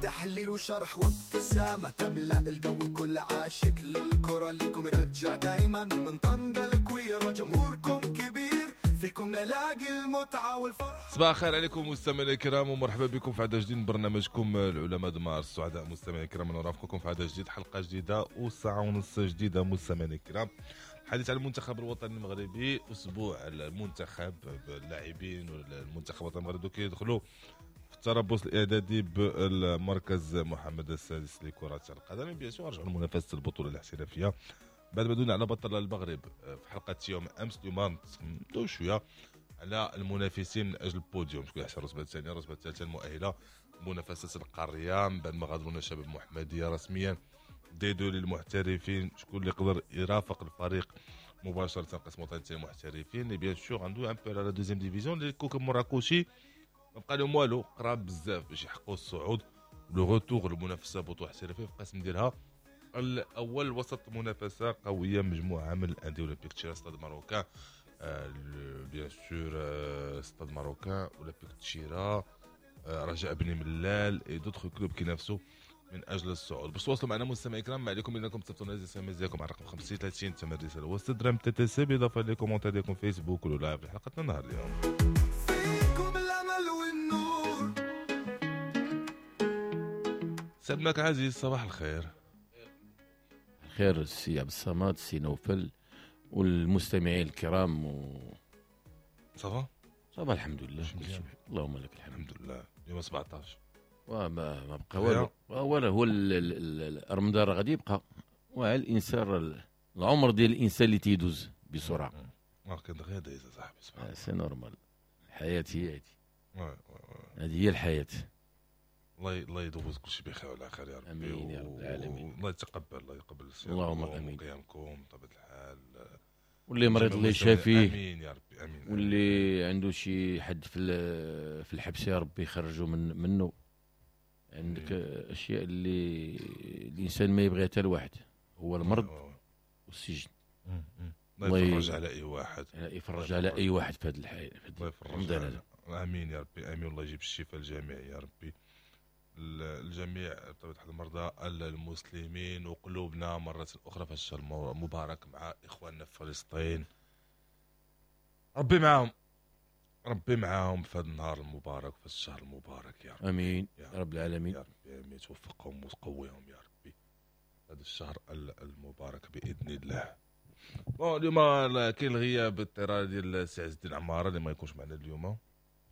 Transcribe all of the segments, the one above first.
تحليل وشرح وابتسامة تملأ الجو. كل عاشق للكرة ليكم يرجع دايما، من طنجة لكويرة جمهوركم كبير، فيكم نلاقي المتعة والفرح. صباح الخير عليكم مستمعينا الكرام، ومرحبا بكم في عدد جديد من برنامجكم العلماء دمار. السعداء مستمعينا الكرام نرافقكم في عدد جديد، حلقة جديدة وساعة ونص جديدة مستمعينا الكرام. الحديث على المنتخب الوطني المغربي، اسبوع المنتخب باللاعبين والمنتخب الوطني المغربي كيدخلوا في التربص الاعدادي بالمركز محمد السادس لكرة القدم. bien sûr رجعوا لمنافسه البطولة الاحترافية بعد ما دونا على بطل المغرب في حلقة يوم امس. اليوم ندوي شوية على المنافسين من اجل البوديوم، شكون يحصل الرتبة الثانية، الرتبة الثالثة المؤهله منافسه القارية من بعد ما غادرونا شباب المحمدية رسميا D2 للمحترفين، شكون اللي يقدر يرافق الفريق مباشرة قسم وطني المحترفين. bien sûr عنده un peu على deuxième division اللي كوكب مراكشي ما بقى لهم والو، قراب بزاف باش يحققوا الصعود le retour للمنافسة بطوله احترافية في القسم ديالها الاول، وسط منافسه قوية مجموعة من الاندية، اولمبيك تشيرا، Stade Marocain، bien sûr Stade Marocain، اولمبيك تشيرا، رجاء بني ملال et d'autres clubs كينافسوا من اجل الصعود. باش تواصلوا معنا مستمعي الكرام، ما عليكم الا انكم تصيفطوا لنا SMS ديالكم على رقم 50 30، ثمن الرسالة هو 6 درهم TTC، بالاضافة les commentaires ديالكم فيسبوك ولا live حلقتنا النهار اليوم. فيكم الامل والنور. سيدنا عزيز صباح الخير. خير السي عبد الصمد، السي نوفل والمستمعين الكرام ça va؟ ça va الحمد لله، كل شيء اللهم لك الحمد. الحمد لله. اليوم 17. وما ما بقى والو ولا هو رمضان راه غادي يبقى، وعلى الانسان العمر ديال الانسان اللي تيدوز بسرعة. اه كان دغيا دايز صاحبي، سبحان الله. c'est normal، الحياة هي هذه، هذه هي الحياه. الله يدوز كل شيء بخير وعلى خير يا ربي. امين يا رب العالمين. الله يتقبل، الله يقبل. اللهم امين. قيامكم بطبيعة الحال. واللي مريض الله يشافيه. امين يا ربي امين. واللي عنده شي حد في الحبس يا ربي يخرجوا منه. عندك اشياء اللي الانسان ما يبغيها حتى الواحد، هو المرض والسجن. الله يفرج على اي واحد، يفرج على اي واحد في هذه الحياة. الله يفرج على. امين يا ربي امين. الله يجيب الشفاء للجميع يا ربي، الجميع بطبيعة الحال المرضى المسلمين. وقلوبنا مرة اخرى في الشهر المبارك مع اخواننا في فلسطين، ربي معاهم، ربي معاهم في هذا النهار المبارك في الشهر المبارك يا رب. امين يا رب العالمين يا ربي امين. توفقهم وتقويهم يا ربي هذا الشهر المبارك باذن الله. bon اليوم كاين الغياب الاضطراري ديال السي عز الدين عمارة اللي ما يكونش معنا اليوم،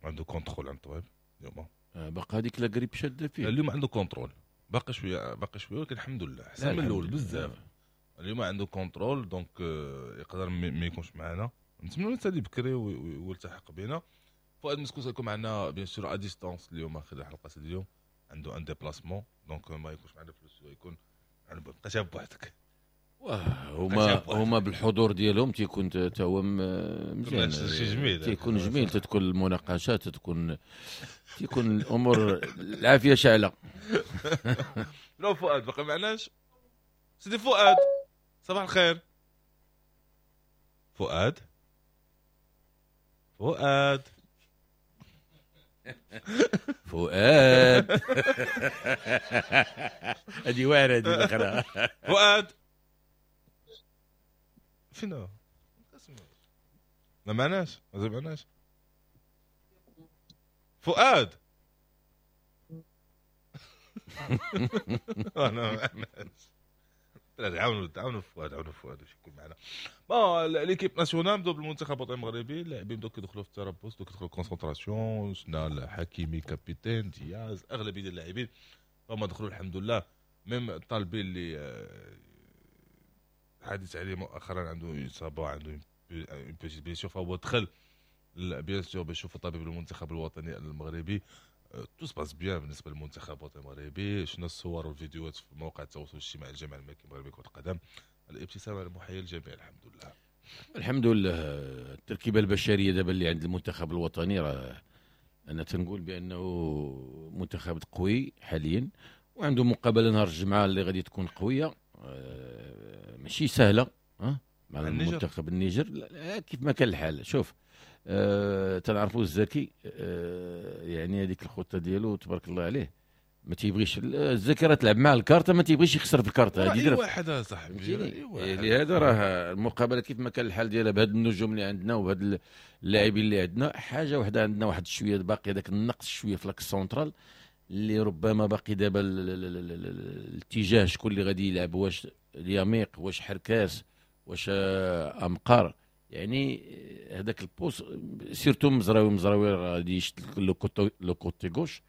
عنده contrôle عند الطبيب اليوم. باقي هذيك la grippe شاده فيه اليوم، عنده contrôle باقي شوية، باقي شوية، ولكن الحمد لله احسن من الاول بزاف. اليوم عنده contrôle donc يقدر ما يكونش معنا، نتمنى حتى بكري ويلتحق بنا. فؤاد مسكوس يكون معنا bien sûr à distance اليوم خلال حلقة اليوم، عنده un déplacement donc ما يكونش معنا في الاستوديو، يكون بقى بوحدك. هما بالحضور ديالهم تيكون تا هو مزيان، تيكون جميل، تتكون المناقشات، تيكون الامور العافية شعله. لو فؤاد باقي معناش. سيدي فؤاد صباح الخير. فؤاد فؤاد فؤاد هذه واعرة هذه الاخرى. فؤاد فينا ما معناش، ما معناش فؤاد. انا ما معناش. عاونوا عاونوا فؤاد، عاونوا فؤاد باش يكون معنا. bon l'équipe nationale بداو بالمنتخب الوطني المغربي، اللاعبين بداو كيدخلوا في التربص، بداو كيدخلوا concentration. شفنا حكيمي capitaine، دياز، اغلبية ديال اللاعبين فما دخلوا الحمد لله. même الطالبي اللي حديث عليه مؤخرا عنده اصابه، عنده une petite blessure، فهو دخل bien sûr باش يشوف الطبيب المنتخب الوطني المغربي. tout se passe bien بالنسبة للمنتخب الوطني المغربي. شفنا الصور والفيديوهات في مواقع التواصل الاجتماعي الجامعة الملكي المغربي لكرة القدم، الابتسامة المحييه للجميع الحمد لله. الحمد لله. التركيبة البشرية دابا اللي عند المنتخب الوطني، راه انا تنقول بانه منتخب قوي حاليا، وعنده مقابله نهار الجمعة اللي غادي تكون قوية، ماشي سهلة مع المنتخب النيجر. كيف ما كان الحال، شوف تنعرفوا الزكي، يعني هذيك الخطة ديالو تبارك الله عليه. ما تيبغيش الذاكرة تلعب مع الكارته، ما تيبغيش يخسر في الكارته. هذه واحد صاحبي. لهذا راه المقابلة كيف ما كان الحال ديالها بهاد النجوم اللي عندنا وبهاد اللاعبين اللي عندنا، حاجة وحده عندنا واحد شوية باقي هذاك النقص شوية في l'axe central اللي ربما باقي دابا الاتجاه شكون اللي غادي يلعب، واش اليميق واش حركاس واش امقار، يعني هذاك ال poste surtout مزراوي غادي يشد le côté gauche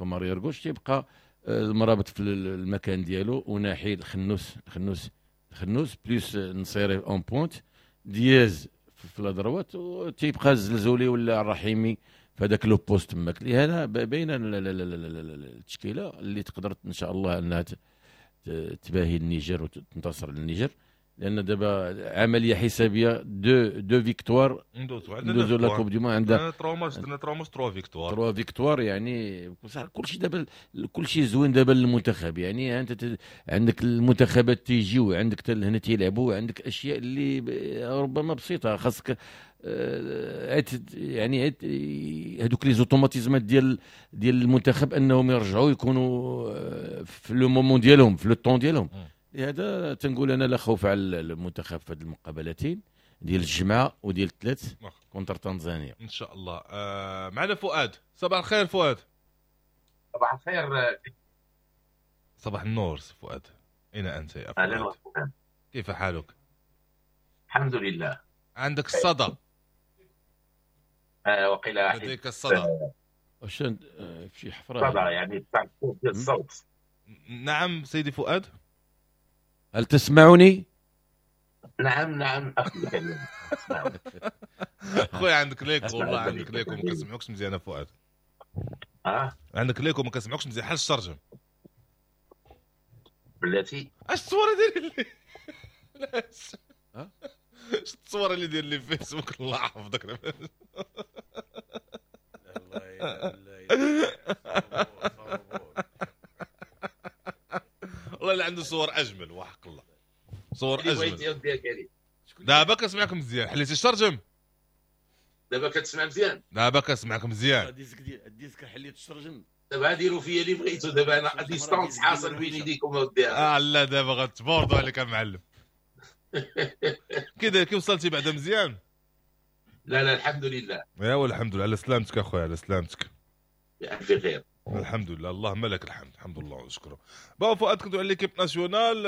comme arrière gauche، تيبقى المرابط في المكان ديالو، وناحي الخنوس الخنوس الخنوس plus نصيري en pointe، دياز في la droite، وتيبقى الزلزولي ولا الرحيمي في هذاك le poste تماك. لهذا باينة التشكيلة اللي تقدر ان شاء الله انها تباهي النيجر وتنتصر للنيجر، لان دابا عملية حسابيه deux victoires ندوزو la Coupe du monde، عندها 3 ماتش، درنا 3 ماتش 3 victoires 3 victoires، يعني كلشي دابا كلشي زوين دابا للمنتخب. يعني انت عندك المنتخبات تيجيو عندك هنا تيلعبوا، عندك اشياء اللي ربما بسيطة خاصك يعني هذوك les automatismes ديال المنتخب انهم يرجعوا يكونوا في le moment ديالهم في le temps ديالهم. لهذا تنقول انا لا خوف على المنتخب في هذه المقابلتين ديال الجمعة وديال الثلاث contre تنزانيا ان شاء الله. معنا فؤاد. صباح الخير فؤاد. صباح الخير. صباح النور فؤاد، اين انت يا فؤاد؟ اهلا وسهلا، كيف حالك؟ الحمد لله. عندك الصدى؟ وقيل لديك الصدى. واش في شي حفره؟ صدى يعني الصوت. نعم سيدي فؤاد، هل تسمعني؟ نعم نعم اخي الكريم. خويا عندك l'écho، والله عندك l'écho ما كنسمعوكش مزيان فؤاد. عندك l'écho ما كنسمعوكش مزيان، حل الشرجم بلاتي. اش الصورة ديال لي؟ اش الصورة اللي ديال لي فيسبوك؟ الله يحفظك. والله اللي عنده صور اجمل، وحق الله صور اجمل. دابا كنسمعك مزيان، حليتي الشرجم؟ دابا كتسمع مزيان؟ دابا كنسمعك مزيان. ال disque حليت الشرجم. دابا ديروا فيا اللي بغيتو، دابا انا distance حاصل بين يديكم اودي. لا دابا غتبوردوا عليك معلم. كي كي وصلتي بعدا مزيان؟ لا لا الحمد لله. ايوا الحمد لله على سلامتك اخويا، على سلامتك. بألف خير. الحمد لله، اللهم لك الحمد، الحمد لله ونشكره. bon فؤاد، كنتو على l'équipe nationale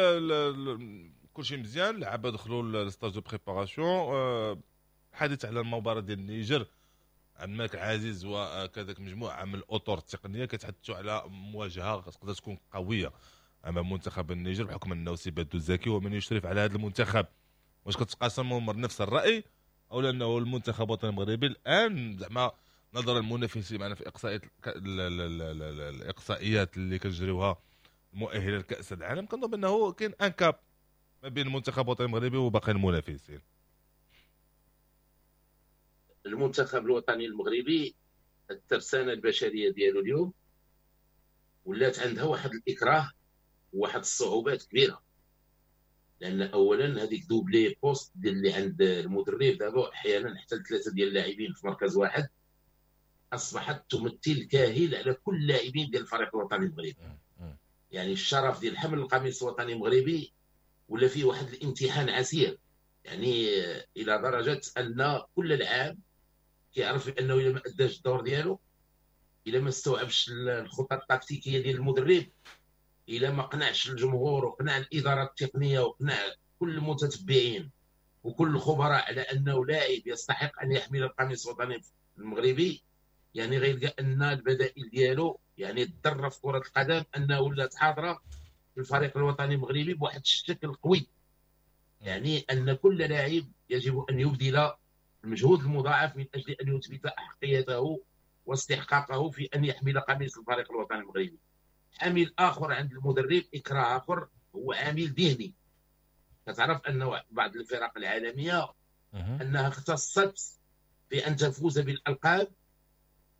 كلشي مزيان، اللعابه دخلوا لل stage de préparation. حديث على المباراة ديال النيجر، عبد الملك العزيز وكذلك مجموعة من الاطر التقنية كيتحدثوا على مواجهة تقدر تكون قوية امام منتخب النيجر، بحكم انه سي بادو الزاكي ومن يشرف على هذا المنتخب. واش كتقاسموا نفس الراي او لانه المنتخب الوطني المغربي الان زعما نظرا للمنافسين معنا في اقصائيات الاقصائيات اللي كنجريوها المؤهله لكاس العالم، كنظن انه كاين un gap ما بين المنتخب الوطني المغربي وباقي المنافسين؟ المنتخب الوطني المغربي الترسانه البشرية ديالو اليوم ولات عندها واحد الاكراه وواحد الصعوبات كبيرة، لان اولا هذيك double poste ديال اللي عند المدرب دابا احيانا حتى ثلاثة ديال اللاعبين في مركز واحد اصبحت تمثل كاهل على كل اللاعبين ديال الفريق الوطني المغربي. يعني الشرف ديال حمل القميص الوطني المغربي ولا فيه واحد الامتحان عسير، يعني الى درجه ان كل لاعب كيعرف بانه الا ما اداش الدور ديالو، الا ما استوعبش الخطط التكتيكيه ديال المدرب، الا ما قنعش الجمهور وقنع الادارة التقنية وقنع كل المتتبعين وكل الخبراء على انه لاعب يستحق ان يحمل القميص الوطني المغربي، يعني غيلقى ان البدائل ديالو يعني تضر في كره القدم انه ولات حاضره في الفريق الوطني المغربي بواحد الشكل قوي. يعني ان كل لاعب يجب ان يبذل المجهود المضاعف من اجل ان يثبت احقيته واستحقاقه في ان يحمل قميص الفريق الوطني المغربي. عامل اخر عند المدرب، اكراه اخر، هو عامل ذهني. كتعرف ان بعض الفرق العالمية انها اختصت في ان تفوز بالالقاب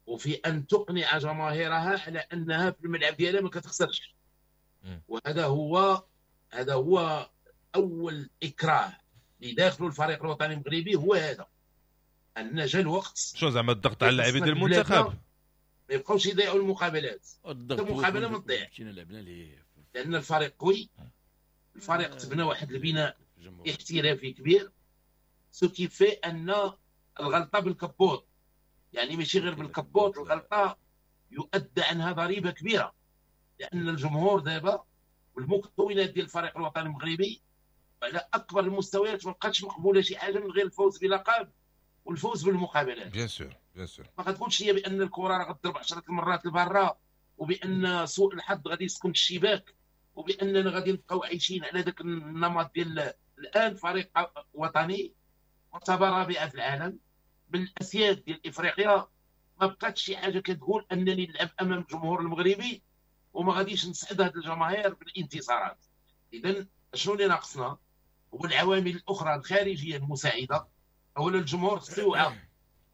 وفي ان تقنع جماهيرها على انها في الملعب ديالها ما كتخسرش. وهذا هو هذا هو اول اكراه اللي داخلوا الفريق الوطني المغربي، هو هذا ان جا الوقت. شو زعما الضغط على اللاعبين ديال المنتخب؟ ما يبقاوش يضيعوا المقابلات. الضغط المقابلة ما تضيع. مشينا لعبنا ليه لان الفريق قوي، الفريق تبنى واحد البناء احترافي كبير، ce qui fait ان الغلطة بالكبوط، يعني ماشي غير بالكبوط، الغلطة يؤدى عنها ضريبة كبيرة، لان الجمهور دابا والمكونات ديال الفريق الوطني المغربي على اكبر المستويات ما بقاتش مقبولة شي حاجة من غير الفوز بلقب والفوز بالمقابلات. bien sûr bien sûr ما غتقولش هي بان الكره راه غتضرب 10 المرات لبرا، وبان سوء الحظ غادي يسكن الشباك، وباننا غادي نبقاو عايشين على ذاك النمط ديال الان. فريق وطني مرتبه رابعه في العالم من الاسياد ديال افريقيا، ما بقاتش شي حاجة كتقول انني نلعب امام الجمهور المغربي وما غاديش نسعد هذه الجماهير بالانتصارات. اذا شنو اللي ناقصنا؟ هو العوامل الاخرى الخارجية المساعدة. اولا الجمهور خصو يوعى،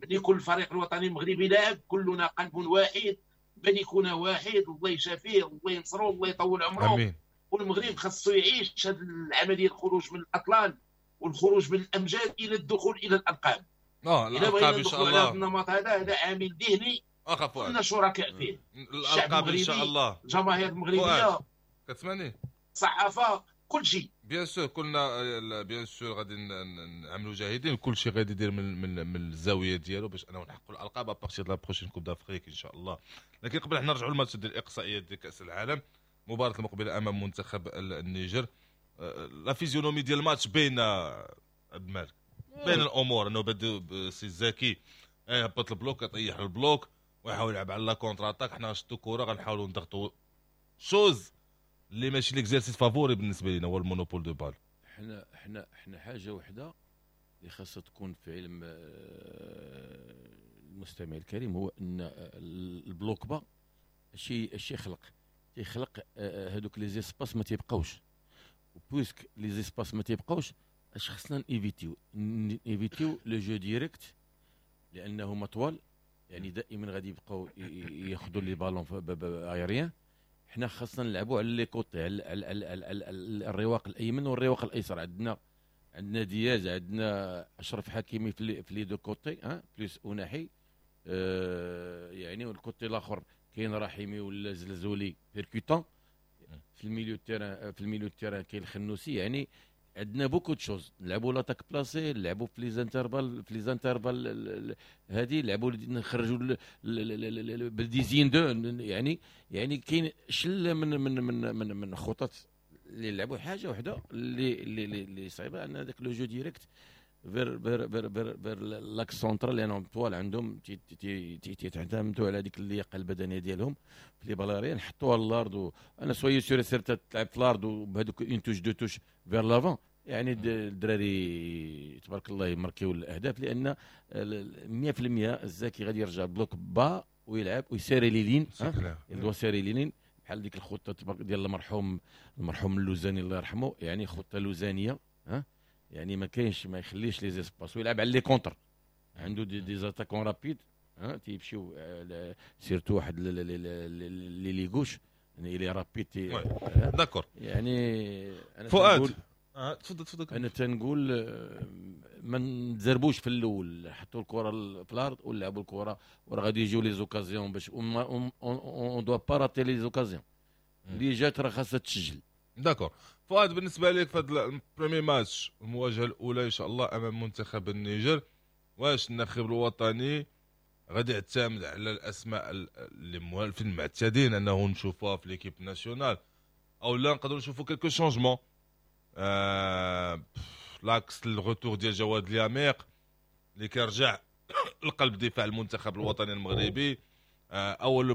ملي يكون الفريق الوطني المغربي لاعب كلنا قلب واحد، ملكنا واحد، الله يشافيه، الله ينصرو، الله يطول عمره. امين. والمغرب خصو يعيش هذه العملية، الخروج من الاطلال والخروج من الامجاد الى الدخول الى الالقاب. الالقاب ان شاء الله. هذا النمط هذا عامل ذهني كلنا شركاء فيه. الالقاب ان شاء الله، الجماهير المغربية، كتسمعني، الصحافة، كل شيء. bien sûr كلنا bien sûr غادي نعملوا جاهدين، كل شيء غادي يدير من الزاوية ديالو باش انه نحققوا الالقاب à partir de la prochaine Coupe d'Afrique ان شاء الله. لكن قبل حنا نرجعوا للماتش ديال الاقصائيات ديال كاس العالم، مباراة المقبلة امام منتخب النيجر. la physionomie ديال الماتش بين عبد المالك، بين الامور انه بدا سي زكي يهبط ال bloc، يطيح ال bloc ويحاول يلعب على la contre-attaque. حنا نشدوا كره غنحاولوا نضغطوا، chose اللي ماشي l'exercice favori بالنسبة لنا هو ال monopole de balle. حنا حاجة وحده اللي خاصها تكون في علم المستمع الكريم، هو ان ال bloc bas شي تيخلق هذوك les espaces ما تيبقاوش، و puisque les espaces ما تيبقاوش اش خصنا نيفيتيو le jeu direct، لانه مطول، يعني دائما غادي يبقاو ياخذوا les ballons aériens. حنا خاصنا نلعبوا على les côtés، على الرواق الايمن والرواق الايسر. عندنا دياز، عندنا اشرف حكيمي في les deux côtés، ها plus اوناحي، يعني وال côté الاخر كاين رحيمي ولا زلزولي percutant. في ال milieu terrain، في ال milieu terrain كاين الخنوسي. يعني عندنا beaucoup de choses، نلعبوا l'attaque placée، نلعبوا في les intervalles، في les intervalles هذه نلعبوا، نخرجوا بال dizaine de، يعني كاين شله من من من من من خطط اللي نلعبوا. حاجة وحده اللي اللي صعيبة، ان هذاك le jeu direct vers vers vers vers vers l'axe central، لانهم طوال عندهم تيعتمدوا على هذيك اللياقة البدنية ديالهم في les balles aériennes، نحطوها للارض. انا soyez sûr certain تلعب في الارض وبهذوك une touche deux touches vers l'avant، يعني الدراري تبارك الله يماركيو الاهداف، لان 100% الزاكي غادي يرجع bloc bas ويلعب ويسيري les lignes، il doit serrer les lignes بحال ديك الخطة ديال المرحوم اللوزاني الله يرحمه، يعني خطه لوزانيه، ها يعني ما كاينش، ما يخليش les espaces ويلعب على les contres. عنده des attaquants rapides، ها تيمشيو surtout واحد l'ailier gauche، يعني il est rapide. d'accord. يعني انا فؤاد تفضل تفضل. انا تنقول ما نتزربوش في الاول، حطوا الكره في الارض ولعبوا الكره، وراه غادي يجيو les occasions، باش on doit pas rater les occasions اللي جات راه خاصها تسجل. d'accord. فؤاد، بالنسبة لك في هذا ال premier match، المواجهة الاولى ان شاء الله امام منتخب النيجر، واش الناخب الوطني غادي يعتمد على الاسماء اللي موالفين معتادين انه نشوفوها في l'équipe nationale، او لا نقدروا نشوفوا quelques changements، l'axe ال retour ديال جواد الياميق اللي كيرجع لقلب دفاع المنتخب الوطني المغربي، اول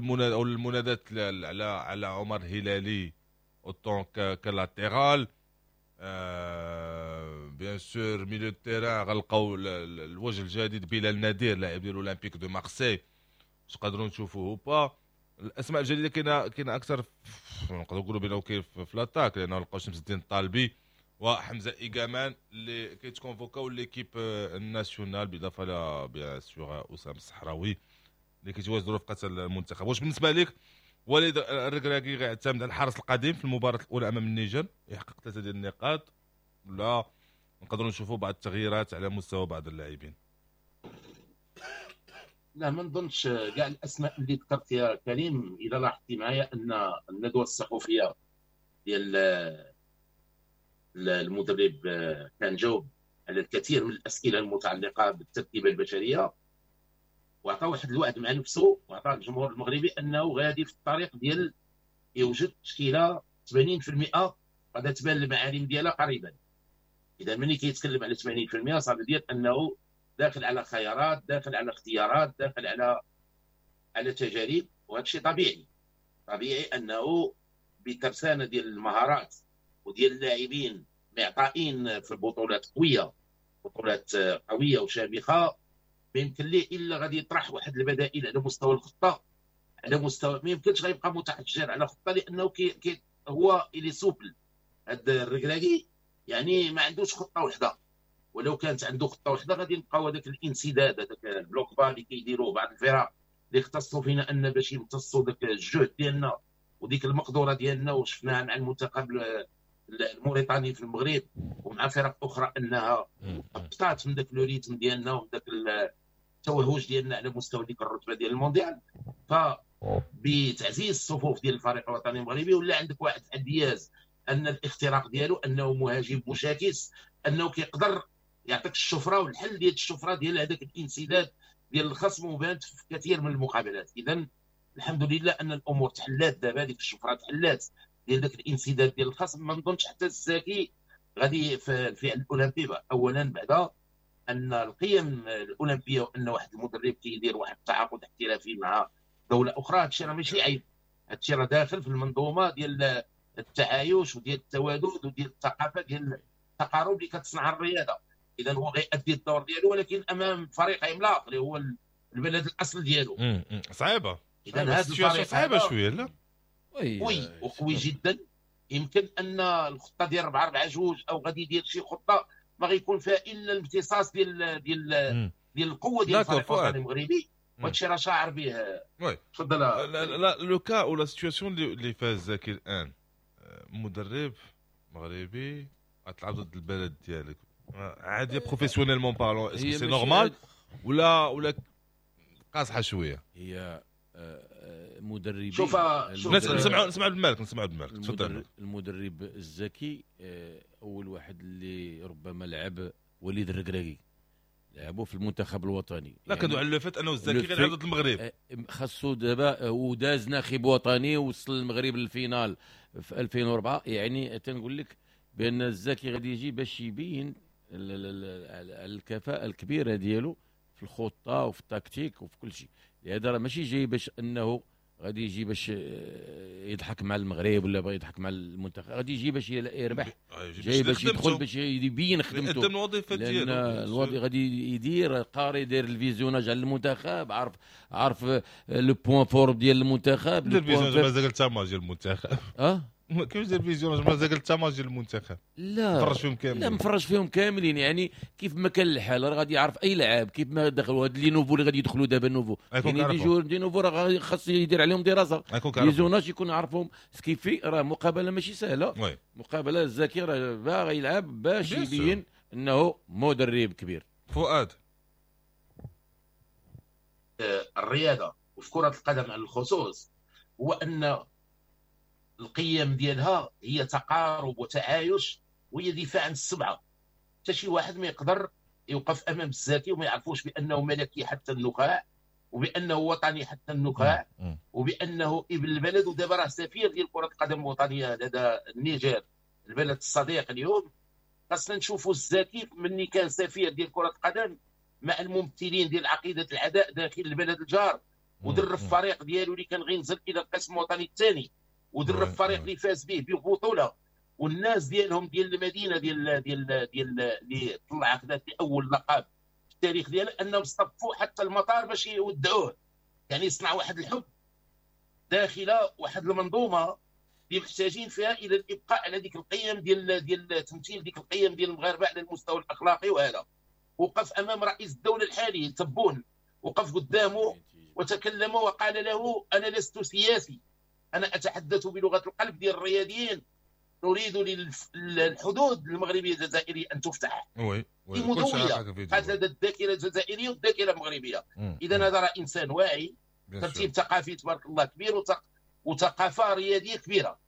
المنادات على عمر هلالي en tant que latéral، bien sûr milieu terrain غنلقاو الوجه الجديد بلال نادير لاعب ديال اولمبيك de Marseille، واش نقدروا نشوفوه pas؟ الاسماء الجديدة كاينه اكثر، نقدروا نقولوا بانه كاين في l'attaque، لانه لقاو شمس الدين الطالبي وحمزة ايغامان اللي كيتكونفوكاو l'équipe nationale، بالاضافة ل bien sûr اسامة الصحراوي اللي كيتواجدوا رفقه المنتخب. واش بالنسبة لك وليد الركراكي غيعتمد على الحارس القديم في المباراة الاولى امام النيجر يحقق ثلاثة ديال النقاط، ولا نقدروا نشوفوا بعض التغييرات على مستوى بعض اللاعبين؟ لا ما نظنش كاع الاسماء اللي ذكرت يا كريم. اذا لاحظتي معايا ان الندوة الصحفية ديال المدرب كان جاوب على الكثير من الاسئلة المتعلقة بالتركيبة البشرية، وعطى واحد الوعد مع نفسه وعطى الجمهور المغربي انه غادي في الطريق ديال يوجد تشكيله 80% غادا تبان المعالم ديالها قريبا. اذا ملي كيتكلم على 80% صافي ديال انه داخل على خيارات، داخل على اختيارات، داخل على تجارب، وهذا الشيء طبيعي. طبيعي انه بترسانه ديال المهارات وديال اللاعبين معطائين في البطولات قوية، بطولات قوية وشامخه، ما يمكن ليه الا غادي يطرح واحد البدائل على مستوى الخطة، على مستوى ما يمكنش غيبقى متحجر على خطه، لانه كي هو il est souple. هذا الركراكي يعني ما عندوش خطه وحده، ولو كانت عنده خطه وحده غادي نبقاو هذاك الانسداد، هذاك ال bloc bas اللي كيديروه بعض الفرق اللي اختصوا فينا ان باش يمتصوا ذاك الجهد ديالنا وديك المقدرة ديالنا، وشفناها مع المنتخب الموريتاني في المغرب ومع فرق اخرى انها هبطات من ذاك le rythme ديالنا ومن ذاك التوهج ديالنا على مستوى ديك الرتبة ديال المونديال. ف بتعزيز الصفوف ديال الفريق الوطني المغربي ولا عندك واحد دياز ان الاختراق ديالو انه مهاجم مشاكس، انه كيقدر يعطيك الشفرة والحل ديال الشفرة ديال هذاك الانسداد ديال الخصم، وبانت في كثير من المقابلات. اذا الحمد لله ان الامور تحلات دابا، ديك الشفرة تحلات ديال ذاك الانسداد ديال الخصم. ما نظنش حتى الزاكي غادي في الفئة الاولمبية. اولا بعدا ان القيم الاولمبية وان واحد المدرب كيدير واحد التعاقد احترافي مع دولة اخرى، هادشي راه ماشي عيب، هادشي راه داخل في المنظومة ديال التعايش وديال التوادد وديال الثقافة ديال التقارب اللي كتصنع الرياضة. اذا هو غيأدي الدور ديالو ولكن امام فريق عملاق اللي هو البلد الاصل ديالو. صعيبة اذا هذا الفريق صعيبة شوية. لا oui وقوي جدا. يمكن ان الخطة ديال 4-4-2 او غادي يدير شي خطه ما غيكون فيها الا الامتصاص ديال ديال ديال القوة ديال الفريق الوطني المغربي، وهادشي راه شاعر به. تفضل. لا le cas ou la situation اللي فيها الزاكي الان، مدرب مغربي غتلعب ضد البلد ديالك عادي professionnellement parlant، est-ce que c'est normal ولا قاصحة شوية؟ هي مدربين. شوف نسمعوا عبد المالك، نسمعوا عبد المالك. تفضل. المدرب الزكي اول واحد اللي ربما لعب وليد الركراكي، لعبوا في المنتخب الوطني. لا كندوي على le fait انه الزكي غير ضد المغرب، خاصو دابا وداز ناخب وطني وصل المغرب لل finale في 2004. يعني تنقول لك بان الزكي غادي يجي باش يبين الكفاءة الكبيرة ديالو في الخطة وفي التكتيك وفي كل شيء. لهذا راه ماشي جاي باش انه غادي يجي باش يضحك مع المغرب ولا بغى يضحك مع المنتخب، غادي يجي باش يربح، جاي باش يدخل باش يبين خدمته، يقدم الوظيفة ديالو. الوظيفة غادي يدير قاري، يدير ال visionnage على المنتخب، عارف les points forts ديال المنتخب. دير visionnage مازال حتى ديال المنتخب. كيفاش دير visionnage مازال حتى ماتش ديال المنتخب؟ لا مفرج فيهم كاملين. لا مفرج فيهم كاملين، يعني كيف ما كان الحال راه غادي يعرف اي لاعب كيف ما دخلوا هاد les nouveaux اللي غادي يدخلوا دابا nouveaux، يعني des joueurs des nouveaux راه خاص يدير عليهم دراسة، visionnage يكون عارفهم ce qui fait. راه مقابله ماشي سهلة، مقابله الزكي راه باغي يلعب باش يبين انه مدرب كبير. فؤاد، الرياضة وفي كره القدم على الخصوص هو ان القيم ديالها هي تقارب وتعايش وهي دفاع عن السبعة. حتى شي واحد ما يقدر يوقف امام الزاكي وما يعرفوش بانه ملكي حتى النخاع، وبانه وطني حتى النخاع، وبانه ابن البلد، ودابا راه سفير ديال كره القدم الوطنية لدى النيجر البلد الصديق. اليوم خاصنا نشوفوا الزاكي مني كان سفير ديال كره القدم مع الممثلين ديال عقيدة العداء داخل البلد الجار، ودرب الفريق ديالو اللي كان غينزل الى القسم الوطني الثاني، ودرب الفريق اللي فاز به ببطولة، والناس ديالهم ديال المدينة ديال ديال ديال اللي طلع خدات اول لقب في التاريخ ديالها، انهم اصطفوا حتى المطار باش يودعوه. يعني صنع واحد الحب داخل واحد المنظومة اللي محتاجين فيها الى الابقاء على ديك القيم ديال ديال تمثيل ديك القيم ديال المغاربة على المستوى الاخلاقي. وهذا وقف امام رئيس الدولة الحالي تبون، وقف قدامه وتكلم وقال له انا لست سياسي، انا اتحدث بلغه القلب ديال الرياضيين. نريد للحدود المغربية الجزائرية ان تفتح. oui مدويه قالت لدى الذاكرة الجزائرية والذاكرة المغربية. اذا هذا راه انسان واعي، ترتيب ثقافي تبارك الله كبير، وثقافة رياضية كبيرة.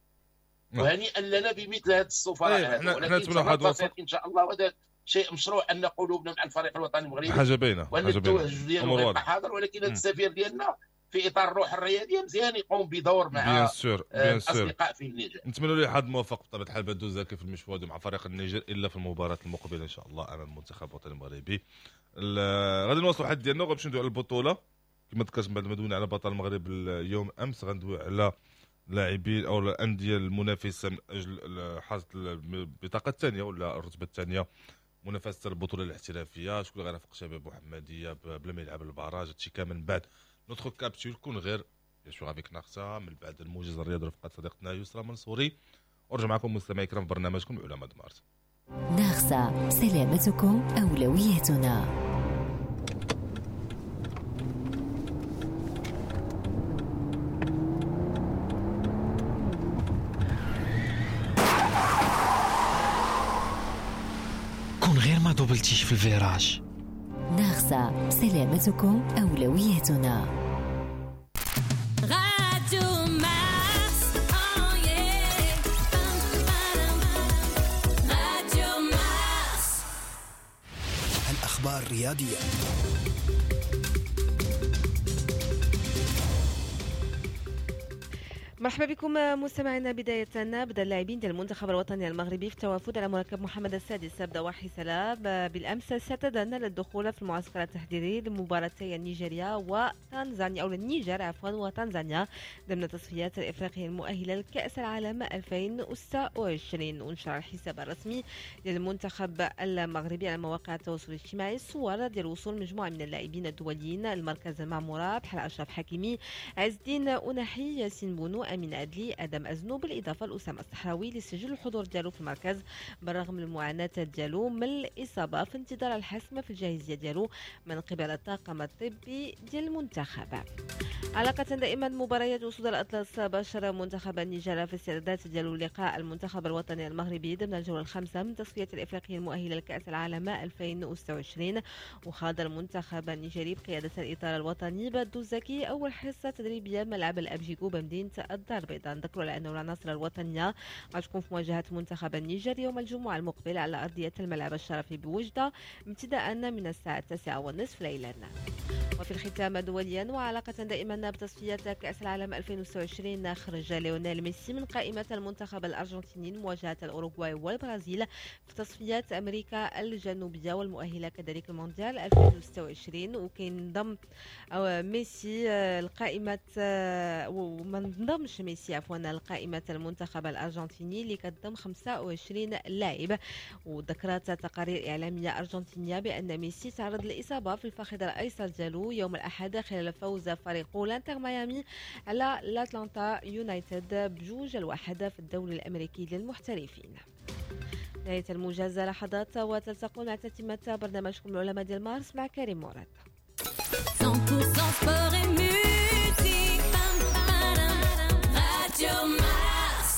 وهنيئا لنا بمثل هذه السفراء. ولكن ان شاء الله وهذا شيء مشروع ان قلوبنا مع الفريق الوطني المغربي، حاجة باينة، وان التوجه ديالو غيبقى حاضر. ولكن هذا السفير ديالنا في اطار الروح الرياضية مزيان يقوم بدور مع الاصدقاء في النيجر. نتمنى له حظ موفق بطبيعة الحال بادو زكي في المشوار مع فريق النيجر الا في المباراة المقبلة ان شاء الله امام المنتخب الوطني المغربي. غادي نواصلوا الحد ديالنا وغنمشيو ندويو على البطولة كما ذكرت بعد ما دوينا على بطل المغرب اليوم امس. غندويو على لاعبين او الاندية المنافسة من اجل حصد البطاقة الثانية ولا الرتبة الثانية منافسه البطولة الاحترافية. شكون اللي غيرافق شباب محمديه بلا ما يلعب ال barrage؟ هادشي كامل من بعد notre capsule كون غير bien sûr avec ناخسا، من بعد الموجز الرياضي رفقه صديقتنا يسرا منصوري. ورجع معكم مستمعي الكرام في برنامجكم علماء مارس. ناخسا، سلامتكم اولويتنا. كون غير ما دوبلتيش في ال virage. ناخسا، سلامتكم أولويتنا. راديو مارس، راديو مارس. الأخبار الرياضية. مرحبا بكم مستمعينا. بداية بدا اللاعبين ديال المنتخب الوطني المغربي في التوافد على مركب محمد السادس بضواحي سلا بالامس استعدادا للدخول في المعسكر التحضيري لمباراتي نيجيريا وتنزانيا او النيجر عفوا وتنزانيا ضمن التصفيات الافريقية المؤهله لكاس العالم 2026. ونشر الحساب الرسمي للمنتخب المغربي على مواقع التواصل الاجتماعي صور ديال وصول مجموعة من اللاعبين الدوليين المركز المعمورة بحال اشرف حكيمي، عز الدين أوناحي، ياسين بونو، أمين عدلي، آدم أزنو، بالإضافة لأسامة الصحراوي اللي سجل الحضور ديالو في المركز بالرغم من المعاناة ديالو من الإصابة، في انتظار الحسم في الجاهزية ديالو من قبل الطاقم الطبي ديال المنتخب. علاقة دائما مباريات أسود الأطلس، باشر منتخب النيجر في استعدادات ديالو لقاء المنتخب الوطني المغربي ضمن الجولة الخامسة من تصفية الإفريقية المؤهلة لكأس العالم 2026. وخاض المنتخب النيجري بقيادة الإطار الوطني بادو زكي أول حصة تدريبية ملعب الأبجيكو بمدينة الدار البيضاء. نذكروا على أنه العناصر الوطنية غتكون في مواجهة منتخب النيجر يوم الجمعة المقبل على أرضية الملعب الشرفي بوجدة ابتداء من الساعة 9:30 ليلا. وفي الختام دوليا وعلاقة دائما بتصفيات كأس العالم 2026، خرج ليونيل ميسي من قائمة المنتخب الأرجنتيني لمواجهة الأوروغواي والبرازيل في تصفيات أمريكا الجنوبية والمؤهلة كذلك المونديال 2026. وكينضم ميسي القائمة وما انضمش ميسي عفوا لقائمة المنتخب الأرجنتيني اللي كتضم 25 لاعب. وذكرت تقارير إعلامية أرجنتينية بأن ميسي تعرض لإصابة في الفخذ الأيسر ديالو يوم الأحد خلال فوز فريقه الانتر ميامي على الأتلانتا يونايتد 2-1 في الدوري الأمريكي للمحترفين. نهاية الموجز لحظات وتلتقون مع تتمة برنامجكم العلماء ديال مارس مع كريم مراد. 100% sport et musique. Radio Mars.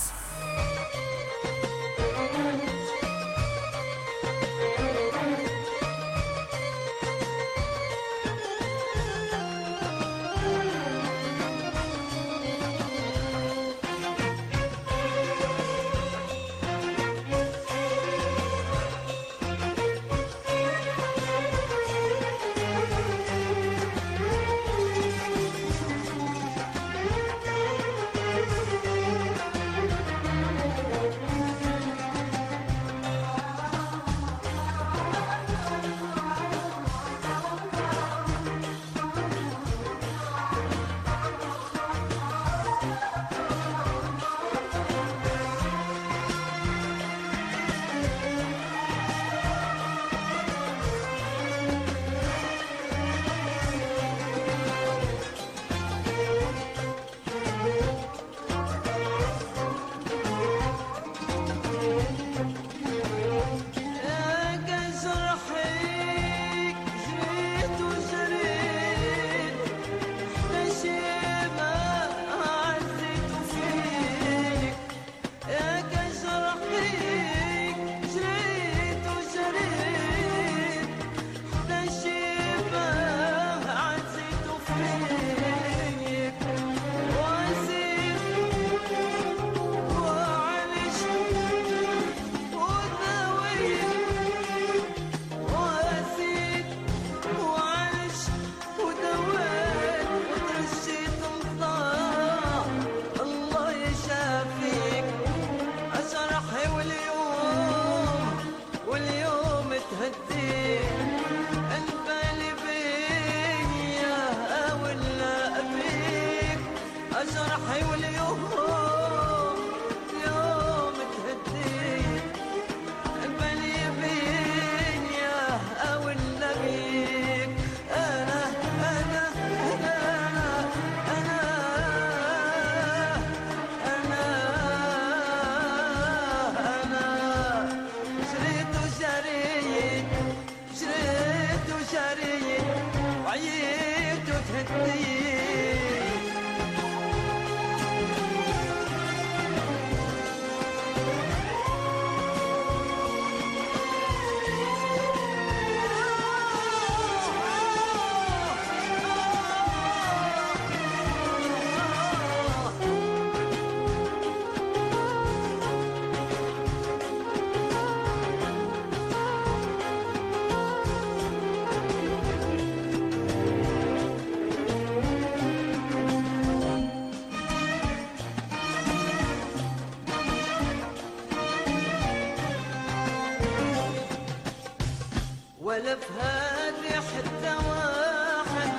ولا في هادي حتى واحد،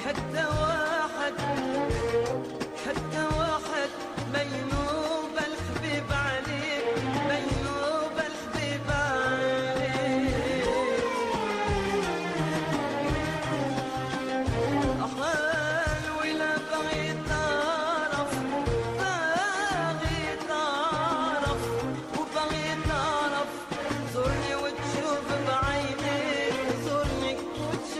حتى واحد، حتى واحد ما ينوب الحبيب عليك، ما ينوب الحبيب عليك. أحال ولا بغيت تعرف، باغي تعرف وبغيت تعرف، زورني وتشوف بعينيك، زورني وتشوف.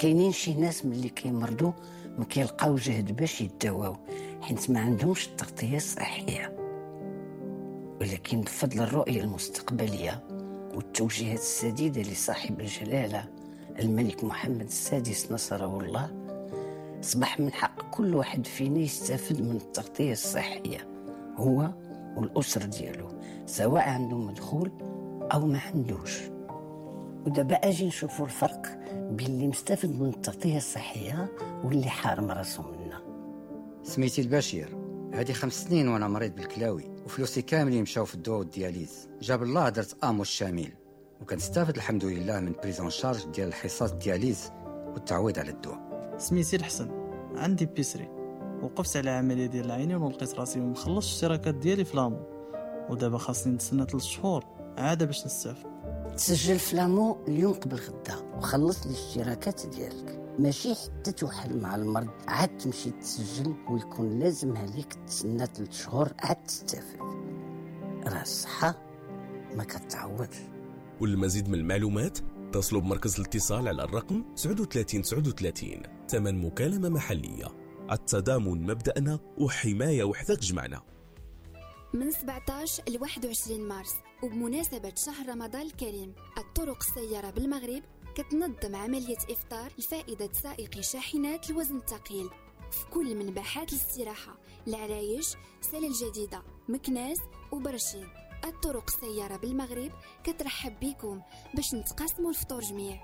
كاينين شي ناس ملي كيمرضوا ما كيلقاو جهد باش يداواو حيت ما عندهمش التغطية الصحية، ولكن بفضل الرؤية المستقبلية والتوجيهات السديدة لصاحب الجلاله الملك محمد السادس نصره الله، أصبح من حق كل واحد فينا يستفد من التغطية الصحية هو والأسرة ديالو، سواء عنده مدخول أو ما عندوش. ودابا أجي نشوفوا الفرق بين اللي مستفد من التغطية الصحية واللي حارم راسو منها. سميتي البشير، هادي 5 سنين وانا مريض بالكلاوي وفلوسي كاملين مشاو في الدواء وال dialyse. جاب الله درت AMO الشامل وكنستافد الحمد لله من prise en charge ديال الحصص ال dialyse والتعويض على الدواء. سميتي الحسن، عندي بيسري، وقفت على عملية ديال العينين ولقيت راسي مخلص الاشتراكات ديالي في l'AMO، ودابا خاصني نتسنى 3 شهور عادة باش نستافد. تسجل في l'AMO اليوم قبل غدا وخلص الاشتراكات ديالك، ماشي حتى توحل مع المرض عاد تمشي تسجل ويكون لازم عليك تسنى 3 شهور عاد تستافد. راه الصحة ما كتعوضش. وللمزيد من المعلومات اتصلوا بمركز الاتصال على الرقم 39 39، ثمن مكالمة محلية. التضامن مبدأنا وحماية وحدة تجمعنا. من 17 ل 21 مارس وبمناسبة شهر رمضان الكريم، الطرق السيارة بالمغرب كتنظم عملية إفطار لفائدة سائقي شاحنات الوزن الثقيل في كل من باحات الاستراحة، العرايش، سلا الجديدة، مكناس وبرشيد. الطرق السيارة بالمغرب كترحب بكم باش نتقاسموا الفطور جميع.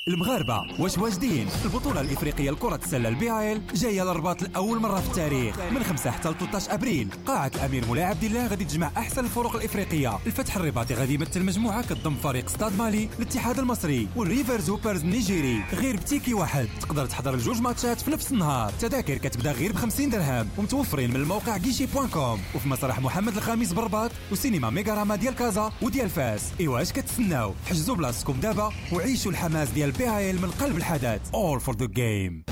المغاربة واش واجدين؟ البطولة الإفريقية لكرة السلة ال BAL جاية للرباط لأول مرة في التاريخ من 5 حتى 13 أبريل. قاعة الأمير مولاي عبد الله غادي تجمع أحسن الفرق الإفريقية. الفتح الرباطي غادي يمثل مجموعة كتضم فريق ستاد مالي، الاتحاد المصري والريفرز هوبرز النيجيري. غير ب ticket واحد تقدر تحضر الجوج ماتشات في نفس النهار. تذاكر كتبدا غير ب 50 درهم ومتوفرين من الموقع guichet.com وفي مسرح محمد الخامس بالرباط وسينما ميغاراما ديال كازا وديال فاس. إيوا اش كتسناو؟ حجزوا بلاصتكم دابا وعيشوا الحماس ديال BAL من قلب الحدث. All for the game.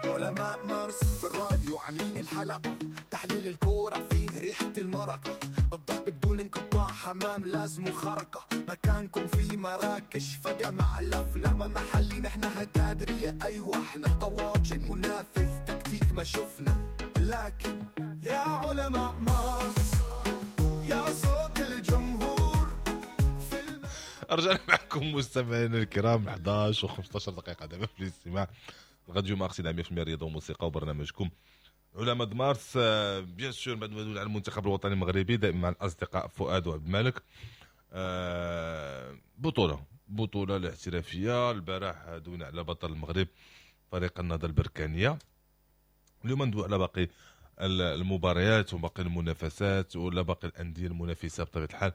علماء مارس في الراديو عاملين الحلقة، تحليل الكورة فيه ريحة المرقة، الضرب بدون انقطاع، حمام لازم خرقة، مكانكم في مراكش فجأة مع الأفلام محلي، نحنا هتادرية أيوة احنا طواجن منافذ تكتيك ما شفنا، لكن يا علماء مارس يا صوت الجمهور. رجعنا معكم مستمعينا الكرام 11 و15 دقيقة دابا في الاستماع راديو مارس 100% رياضة وموسيقى وبرنامجكم علماء مارس. bien sûr بعد ما ندوي على المنتخب الوطني المغربي دائما مع الاصدقاء فؤاد وعبد الملك. بطوله الاحترافية البارح دوينا على بطل المغرب فريق النهضة البركانيه. اليوم ندوي على باقي المباريات وباقي المنافسات ولا باقي الاندية المنافسة بطبيعة الحال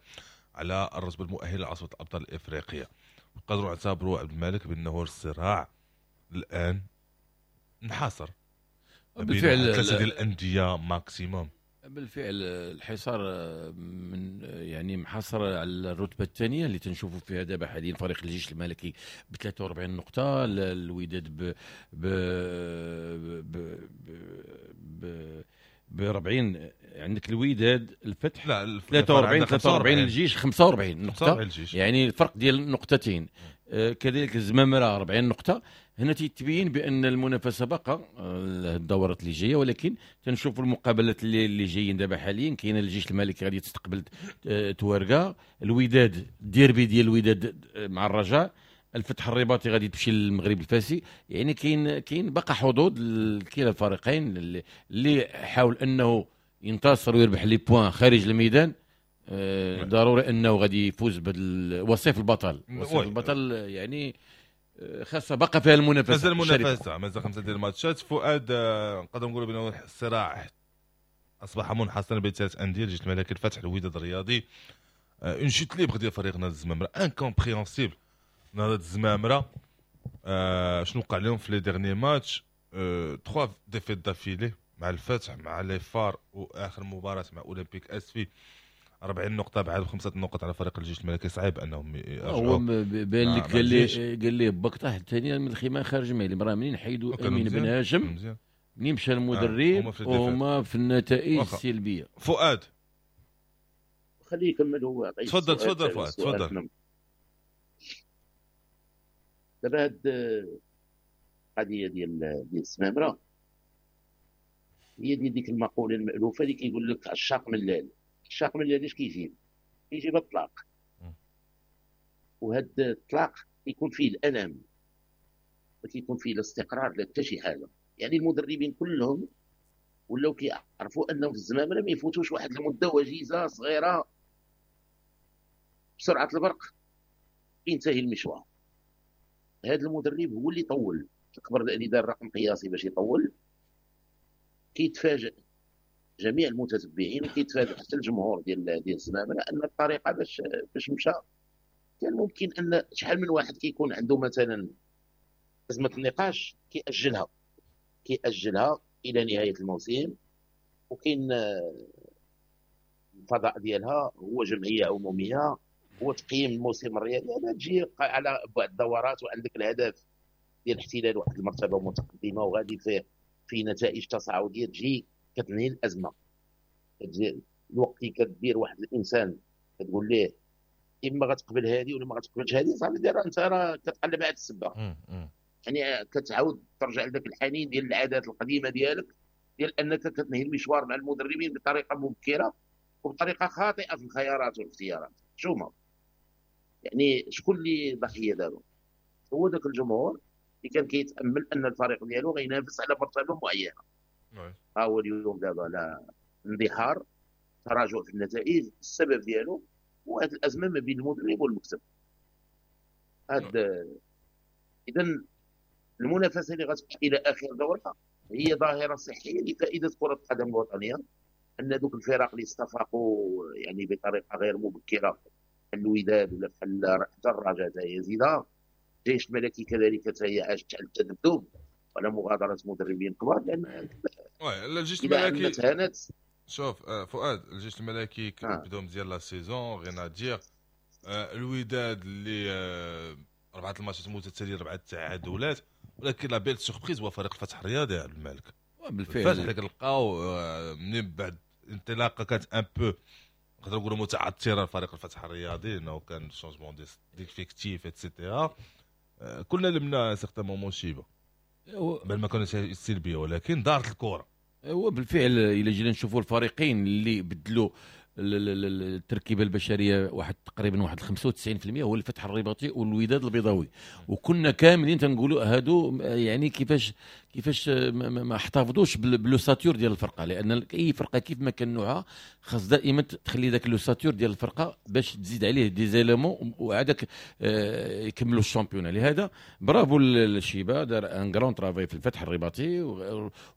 على الرتبة المؤهله لعصبه الابطال الافريقية. نقدروا نعتبروا عبد الملك بانه الصراع الان انحصر بالفعل ثلاثة ديال الاندية maximum. بالفعل الحصار من يعني محاصر على الرتبة الثانية اللي تنشوفوا فيها دابا حاليا فريق الجيش الملكي ب 43 نقطة، الوداد ب ب ب 40. عندك الوداد الفتح لا 43 الجيش 45 نقطة، يعني الفرق ديال نقطتين. كذلك الزمامره 40 نقطة. هنا تيتبين بان المنافسة باقا الدورات اللي جاية، ولكن تنشوفوا المقابلات اللي جايين دابا حاليا. كاين الجيش الملكي غادي تستقبل توارقه، الوداد الديربي ديال الوداد مع الرجاء، الفتح الرباطي غادي تمشي للمغرب الفاسي. يعني كاين باقا حظوظ لكلا الفريقين اللي حاول انه ينتصر ويربح les points خارج الميدان. ضروري انه غادي يفوز بوصيف البطل. وصيف البطل يعني خاصة بقى فيها المنافسة، مازال المنافسة، مازال 5 ديال الماتشات. فؤاد نقدر نقولوا بان الصراع اصبح منحصرا بين ثلاث اندية، الجيش الملكي، الفتح، الوداد الرياضي. une chute libre ديال فريق نهضة الزمامره incompréhensible. نهضة الزمامره شنو وقع لهم في les derniers matchs؟ 3 défaites d'affilée مع الفتح، مع les FAR، واخر مباراة مع اولمبيك اسفي، 40 نقطة بعد 5 نقط على فريق الجيش الملكي. صعيب انهم يرجعوا. هو بان لك قال لي، قال لي باك طاح الثاني من الخيمة خارج مالي، راه منين حيدوا امين بن هاشم، منين مشى المدرب وهما في النتائج السلبية. فؤاد خليه يكمل هو. تفضل تفضل فؤاد تفضل. دابا هاد القضية ديال السمامره هي ديال ديك المقولة المالوفه اللي كيقول لك عشاق ملال. عشاق ملال اش كيجيب؟ كيجيب الطلاق، وهاد الطلاق كيكون فيه الالم، ما كيكون فيه لا استقرار لا حتى شي حاجة. يعني المدربين كلهم ولاو كيعرفوا انهم في الزمامره ما يفوتوش واحد المدة وجيزة صغيرة، بسرعة البرق ينتهي المشوار. هذا المدرب هو اللي طول، اكبر اللي دار رقم قياسي باش يطول. كيتفاجئ جميع المتتبعين وكيتفاجئ حتى الجمهور ديال الزمامره ان الطريقة باش مشى كان ممكن ان شحال من واحد كيكون عنده مثلا ازمة النقاش كيأجلها الى نهاية الموسم، وكاين الفضاء ديالها هو جمعية عموميه، هو تقييم الموسم الرياضي. هذا تجي على بعض الدورات وعندك الهدف ديال احتلال واحد المرتبة متقدمة وغادي في نتائج تصاعدية، تجي كتنهي الازمة. تجي الوقت اللي كدير واحد الانسان كتقول ليه اما غتقبل هذه ولا ما غتقبلش هذه، صافي دير انت راه كتقلب على السبه. يعني كتعاود ترجع لذاك الحنين ديال العادات القديمة ديالك، ديال انك كتنهي المشوار مع المدربين بطريقة مبكرة وبطريقة خاطئه في الخيارات والاختيارات. شوما يعني شكون اللي ضحية دابا؟ هو ذاك الجمهور اللي كان كيتامل ان الفريق ديالو غينافس على مرتبه معينة. ها هو اليوم دابا لا اندحار، تراجع في النتائج، السبب ديالو هو هذه الازمة ما بين المدرب والمكتب. هاد اذا المنافسة اللي غتبقى الى اخر دوره هي ظاهره صحية لفائدة كره القدم الوطنية، ان دوك الفرق اللي استفاقوا يعني بطريقة غير مبكرة، بحال الوداد ولا بحال حتى الرجاء حتى هي زيده، الجيش الملكي كذلك حتى هي عاشت على التذبذب وعلى مغادرة مدربين كبار. لان الجيش الملكي شوف فؤاد، الجيش الملكي بداو مزيان la saison، rien à dire. الوداد اللي 4 الماتشات متتالية، 4 تعادلات، ولكن la belle surprise هو فريق الفتح الرياضي عبد الملك. بالفعل الفتح اللي كنلقاو من بعد انطلاقة كانت un peu نقدروا نقولوا متعثره لفريق الفتح الرياضي، لانه كان changement d'effectif et cetera. كلنا لمنا certains moments شيبة بل ما كانش السلبية، ولكن دارت الكره. هو بالفعل الى جينا نشوفوا الفريقين اللي بدلوا التركيبة البشرية واحد تقريبا واحد 95% هو الفتح الرباطي والوداد البيضاوي، وكنا كاملين تنقولوا هادو يعني كيفاش ما احتفظوش ب l'ossature ديال الفرقة، لان اي فرقه كيف ما كان نوعها خاص دائما تخلي ذاك l'ossature ديال الفرقة باش تزيد عليه des éléments وعادك يكملوا ال championnat. لهذا برافو للشيبه، دار un grand travail في الفتح الرباطي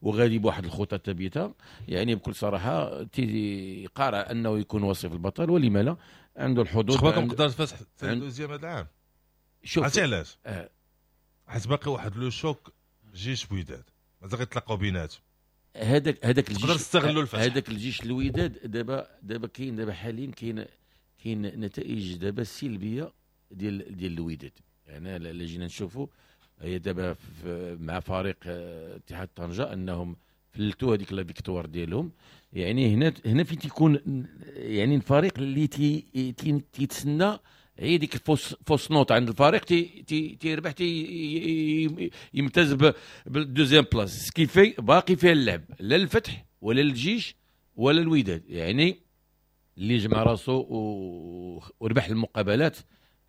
وغادي بواحد الخطة ثابتة. يعني بكل صراحة تيقارع انه يكون وصيف البطل، ولما لا عنده الحظوظ. شخباركم قدر الفتح deuxième هذا العام؟ شوف عرفتي علاش؟ حيت باقي واحد le choc جيش وداد مازال غيتلاقاو بيناتهم. هذاك الجيش تقدر تستغلوا الفتح، هذاك الجيش الوداد دابا كاين دابا حاليا كاين نتائج دابا سلبية ديال الوداد. يعني الا جينا نشوفوا هي دابا مع فريق اتحاد طنجه انهم فلتوا هذيك la victoire ديالهم. يعني هنا فين تيكون يعني الفريق اللي تيتسنى هي ديك fausse note عند الفريق تيربح يمتاز بال deuxième place، ce qui fait باقي فيها اللعب لا الفتح ولا الجيش ولا الوداد. يعني اللي جمع راسو وربح المقابلات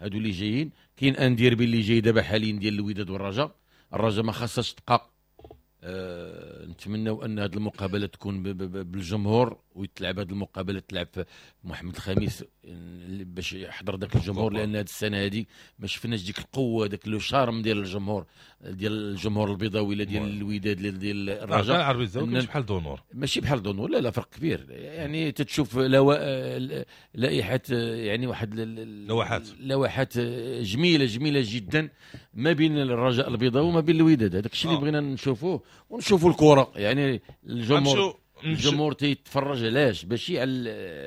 هادو اللي جايين. كاين un derby اللي جاي دابا حاليا ديال الوداد والرجاء، الرجاء ما خاصهاش تبقى. نتمنوا ان هذه المقابلة تكون بالجمهور ويتلعب هذه المقابلة تلعب في محمد الخامس باش يحضر ذاك الجمهور، لان هذه السنة هذه ما شفناش ديك القوة، داك le charme ديال الجمهور، ديال الجمهور البيضاوي لا ديال الوداد لا ديال الرجاء. العربي الزاوي ماشي بحال d'honneur، ماشي بحال d'honneur، لا فرق كبير. يعني تتشوف لائحة، يعني واحد لوحات جميلة جميلة جدا ما بين الرجاء البيضاوي وما بين الوداد. هذاك الشيء اللي بغينا نشوفوه. ونشوفوا الكره، يعني الجمهور تيتفرج علاش؟ ماشي على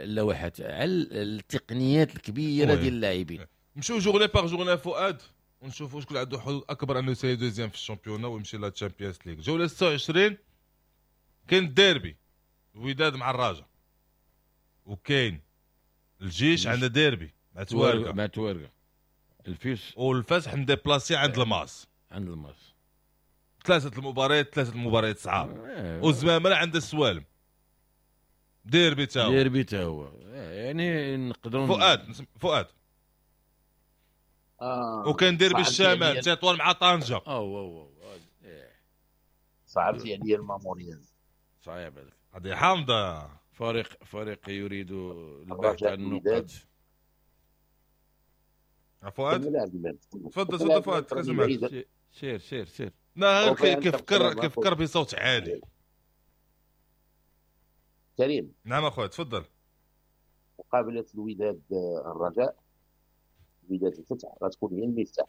اللوحات، على التقنيات الكبيرة ديال اللاعبين. نمشيو journée par journée فؤاد ونشوفوا شكون عنده حظوظ اكبر انه يسالي deuxième في ال championnat ويمشي la Champions League. جولة 26 كاين الديربي الوداد مع الرجاء، وكاين الجيش عنده ديربي مع توارقه، مع توارقه الفيس، والفتح مديبلاسي عند الماس، عند الماس. ثلاثة المباريات صعاب. والزمامره عند السوالم ديربي تا هو، ديربي تا هو، يعني نقدروا فؤاد وكان ديربي الشمال تطوان مع طنجه. صعبتي عليا الماموريان، صعيب هذاك، هذه حامضه. فريق يريد البحث عن النقاط. فؤاد تفضل فؤاد، كنسمعك. سير سير سير. لا كيفكر بصوت عالي. كريم. نعم اخويا تفضل. مقابله الوداد الرجاء، الوداد الفتح غتكون هي المفتاح.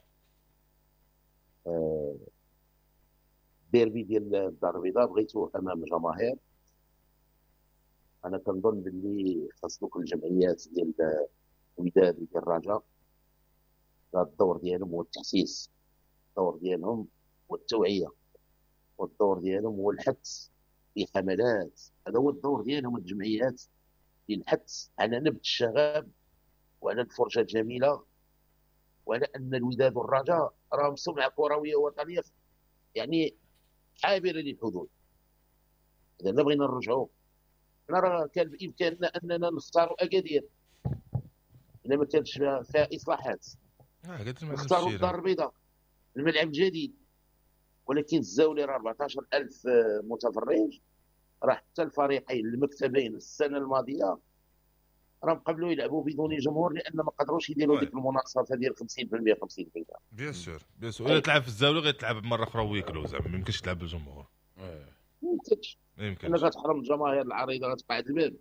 ديربي ديال الدار البيضاء بغيتوه امام الجماهير. انا كنظن باللي خاص دوك الجمعيات ديال الوداد وديال الرجاء الدور ديالهم هو التحسيس، الدور ديالهم هو التوعية، والدور ديالهم هو الحث في حملات. هذا هو الدور ديالهم الجمعيات، الحث على نبت الشغب وعلى الفرجة الجميلة، وعلى ان الوداد والرجاء راهم سمعه كروية وطنية يعني عابرة للحدود. اذا لا بغينا نرجعوا، حنا راه كان بامكاننا اننا نختاروا اكادير الا ما كانش فيها اصلاحات، نختاروا الدار البيضاء الملعب الجديد، ولكن الزاولي راه 14000 متفرج، راه حتى الفريقين المكتبين السنة الماضية راهم قبلوا يلعبوا بدون جمهور لان ما قدروش يديروا ديك المناصفه ديال 50% 50%. bien sûr bien sûr، الا تلعب في الزاولي غيتلعب مرة اخرى huis clos، زعما ما يمكنش تلعب بالجمهور، ما يمكنش. الا غتحرم الجماهير العريضة غتبقى عند الباب،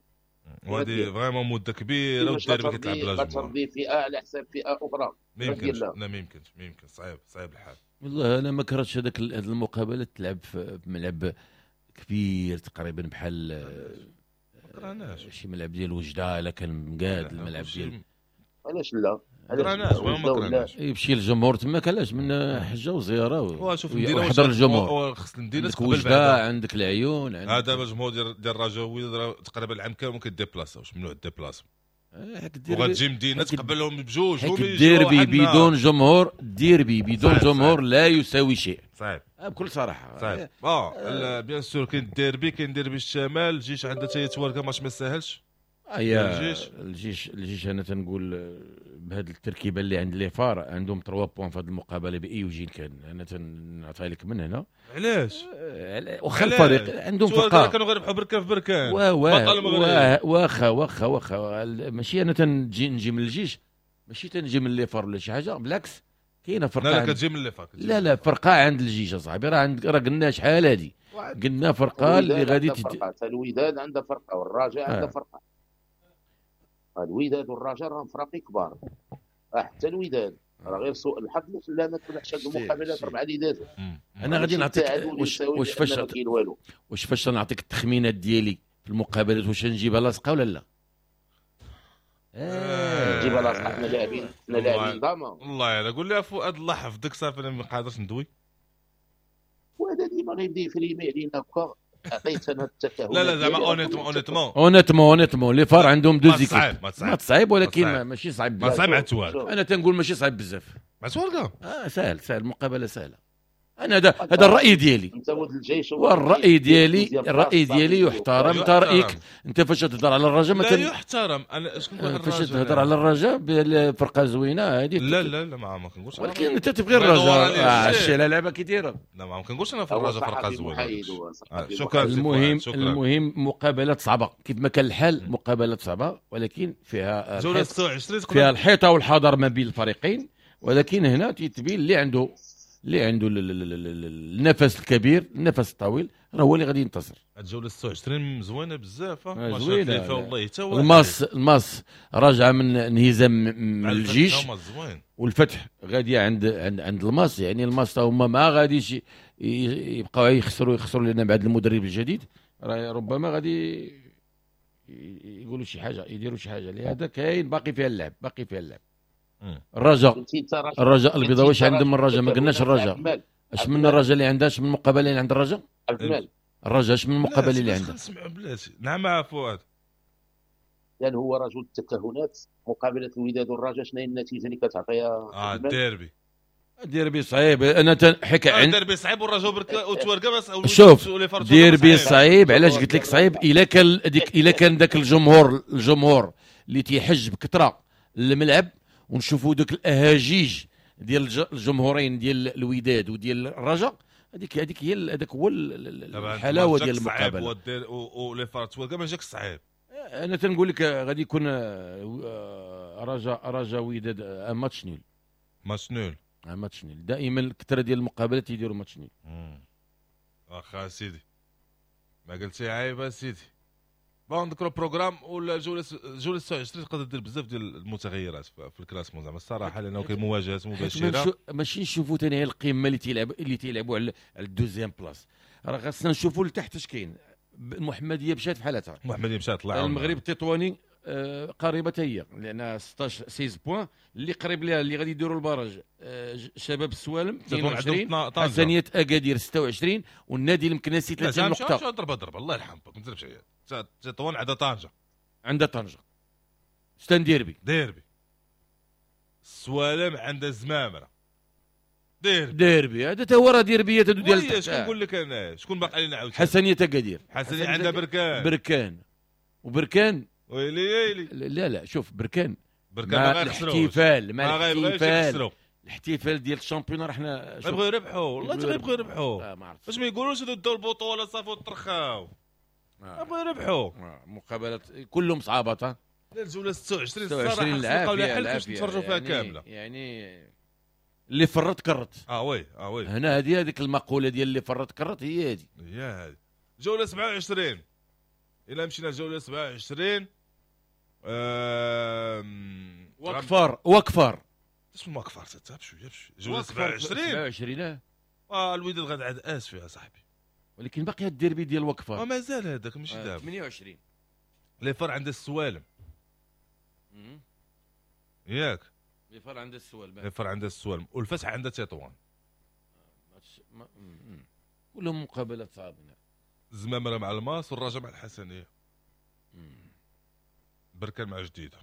وهذه vraiment مده كبيرة والديربي كتلعب بلا جمهور، غترضي فئة على حساب فئة اخرى، ما يمكنش. لا ما يمكنش، ما يمكنش، صعيب الحال. والله انا ما كرهتش هذاك هذه المقابلة تلعب في ملعب كبير تقريبا بحال شي ملعب ديال وجده، الا كان مقاد الملعب ديال علاش لا، كرهناش ما كرهناش يمشي الجمهور تماك، علاش من حجه وزيارة وحضر الجمهور. خص المدينة تقبل وجده، عندك العيون، هذا الجمهور ديال الرجاوي تقريبا العام كامل ما كيديبلاصاوش، ممنوع ال déplacement، وغتجي مدينة تقبلهم بجوج. الديربي بدون جمهور، الديربي بدون جمهور لا يساوي شيء. صعيب بكل صراحة، صعيب. bien sûr كاين الديربي، كاين ديربي الشمال، الجيش عندها حتى هي تواركه ماتش ما ساهلش. الجيش انا تنقول بهذه التركيبة اللي عند les FAR عندهم 3 points في هذه المقابلة باي وجه كان، انا تنعطيها لك من هنا. علاش؟ واخا الفريق عندهم فرقه كانوا غيربحوا بركان في بركان بطل المغرب، واخا ماشي انا تنجي نجي من الجيش، ماشي تنجي من les FAR ولا شي حاجة، بالعكس كاينه فرقه. لا كتجي من les FAR، لا فرقه عند الجيش اصاحبي، راه عند راه قلنا شحال هذه، قلنا فرقه اللي غادي الوداد عندها فرقه والرجاء عندها فرقه. الوداد والرجاء راهم فراقي كبار، حتى الوداد راه غير سوء الحظ اللي خلانا ما تربحش هاد المقابلات 4 اللي دازوا. انا غادي نعطيك واش فاش نعطيك التخمينات ديالي في المقابلات، واش نجيبها لاصقه ولا لا؟ نجيبها لاصقه، حنا لاعبين، حنا لاعبين ضامن. والله الا قول لي فؤاد الله يحفظك، صافي انا ما قادرش ندوي، وهذا ديما غيبدا يفريمي علينا هكا. عطيت انا التكهن. لا زعما honnêtement honnêtement les FAR عندهم deux équipes ما صعيب، ولكن ماشي صعيب، ما صعيب مع التوارق. انا تنقول ماشي صعيب بزاف مع التوارق، سهل المقابلة سهلة. انا هذا الراي ديالي، والراي ديالي الراي ديالي يحترم. انت رايك انت فاش تهضر على الرجاء لا يحترم. انا اش كنقول فاش تهضر على الرجاء بالفرقة زوينة هذه، لا لا لا ما كنقولش، ولكن انت تبغي الرجاء الشيء على لعبه كي دايرة. لا ما كنقولش انا في الرجاء فرقه زوينة. شكرا. المهم مقابلات صعبة كيف ما كان الحال، مقابلات صعبة ولكن فيها فيها الحيطة والحذر ما بين الفريقين، ولكن هنا تيتبين اللي عنده النفس الكبير، النفس الطويل، راه هو اللي غادي ينتصر. الجولة 26 زوينة بزاف، زوينة والله. حتى الماس راجعه من انهزام من الجيش، والفتح غادي عند عند عند الماس، يعني الماس هما ما غاديش يبقاو يخسروا لان بعد المدرب الجديد راه ربما غادي يقولوا شي حاجة، يديروا شي حاجة. لهذا كاين باقي فيها اللعب، باقي فيها اللعب. الرجاء البيضاوي واش عندهم الرجاء؟ ما قلناش الرجاء، اش من الرجاء اللي عندها، اش من المقابلة اللي عند الرجاء؟ الرجاء اش من المقابلة اللي عندها؟ بلاتي. نعم فؤاد، لان هو رجل التكهنات. مقابله الوداد والرجاء شنو هي النتيجة اللي كتعطيها؟ الديربي، ديربي صعيب. انا حكى عن ديربي صعيب والرجاء وتواركه بس. شوف ديربي صعيب، علاش قلت لك صعيب؟ الا كان ديك، الا كان ذاك الجمهور اللي تيحج بكثرة الملعب، ونشوفوا دوك الاهاجيج ديال الجمهورين ديال الوداد وديال الرجاء، هذيك هي، هذاك هو الحلاوة ديال المقابلة. و les FAR تواركه ما جاك صعيب. انا تنقول لك غادي يكون رجاء وداد match nul، match nul، match nul. دائما الكثرة ديال المقابلات يديروا match nul. واخا سيدي، ما قلتي عيب سيدي. bon نذكروا programme ولا جولة 26 تقدر دير بزاف ديال المتغيرات في ال classement زعما الصراحة، لانه كاين مواجهات مباشرة. ماشي نشوفوا ثاني القمه اللي تيلعبوا على ال deuxième place، راه خاصنا نشوفوا لتحت اش كاين. المحمدية مشات في حالتها، المحمدية مشات طلع. المغرب التطواني قريبه هي، لان 16 points اللي قريب لها اللي غادي يديروا ال barrage شباب السوالم 22، حسنيه اكادير 26، والنادي المكناسي 30 نقطة. ضربه الله يرحمك، ما تضربش عليا. تطوان عندها طنجه، عندها طنجه c'est un derby، ديربي. السوالم عندها زمامرة، ديربي. هذا تا هو راه ديربيات هادو ديال التحت. شكون نقول لك انا شكون باقي علينا عاوتاني؟ حسنيه اكادير، حسنيه عندها بركان، وبركان ويلي ويلي. لا لا شوف بركان ما الاحتفال، مع الاحتفال ديال ال championnat راه حنا يبغيو يربحوا، والله حتى يبغيو يربحوا. ما عرفت باش ما يقولوش هادو داو البطولة صافي وترخاو، يبغيو يربحوا. مقابلات كلهم صعابات. لا الجولة 26 الصراحة نلقاو لها حل باش نتفرجوا فيها كاملة، يعني اللي فرط كرت. oui oui، هنا هذيك المقولة ديال اللي فرط كرت هي هذه، هي هذه. جولة 27، الا مشينا جولة 27 وكفار اسمه وكفار تتعب شوية بشوية. جولة 27 الوداد غادي عاد اسفي يا صاحبي، ولكن باقي الديربي ديال وكفار مازال هذاك ماشي دابا 28. les FAR عند السوالم ياك، les FAR عند السوالم، les FAR عند السوالم، والفتح عند تطوان. كلهم مقابلات صعبة. الزمامره مع الماس، والرجاء مع الحسنيه، بركان مع جديدة.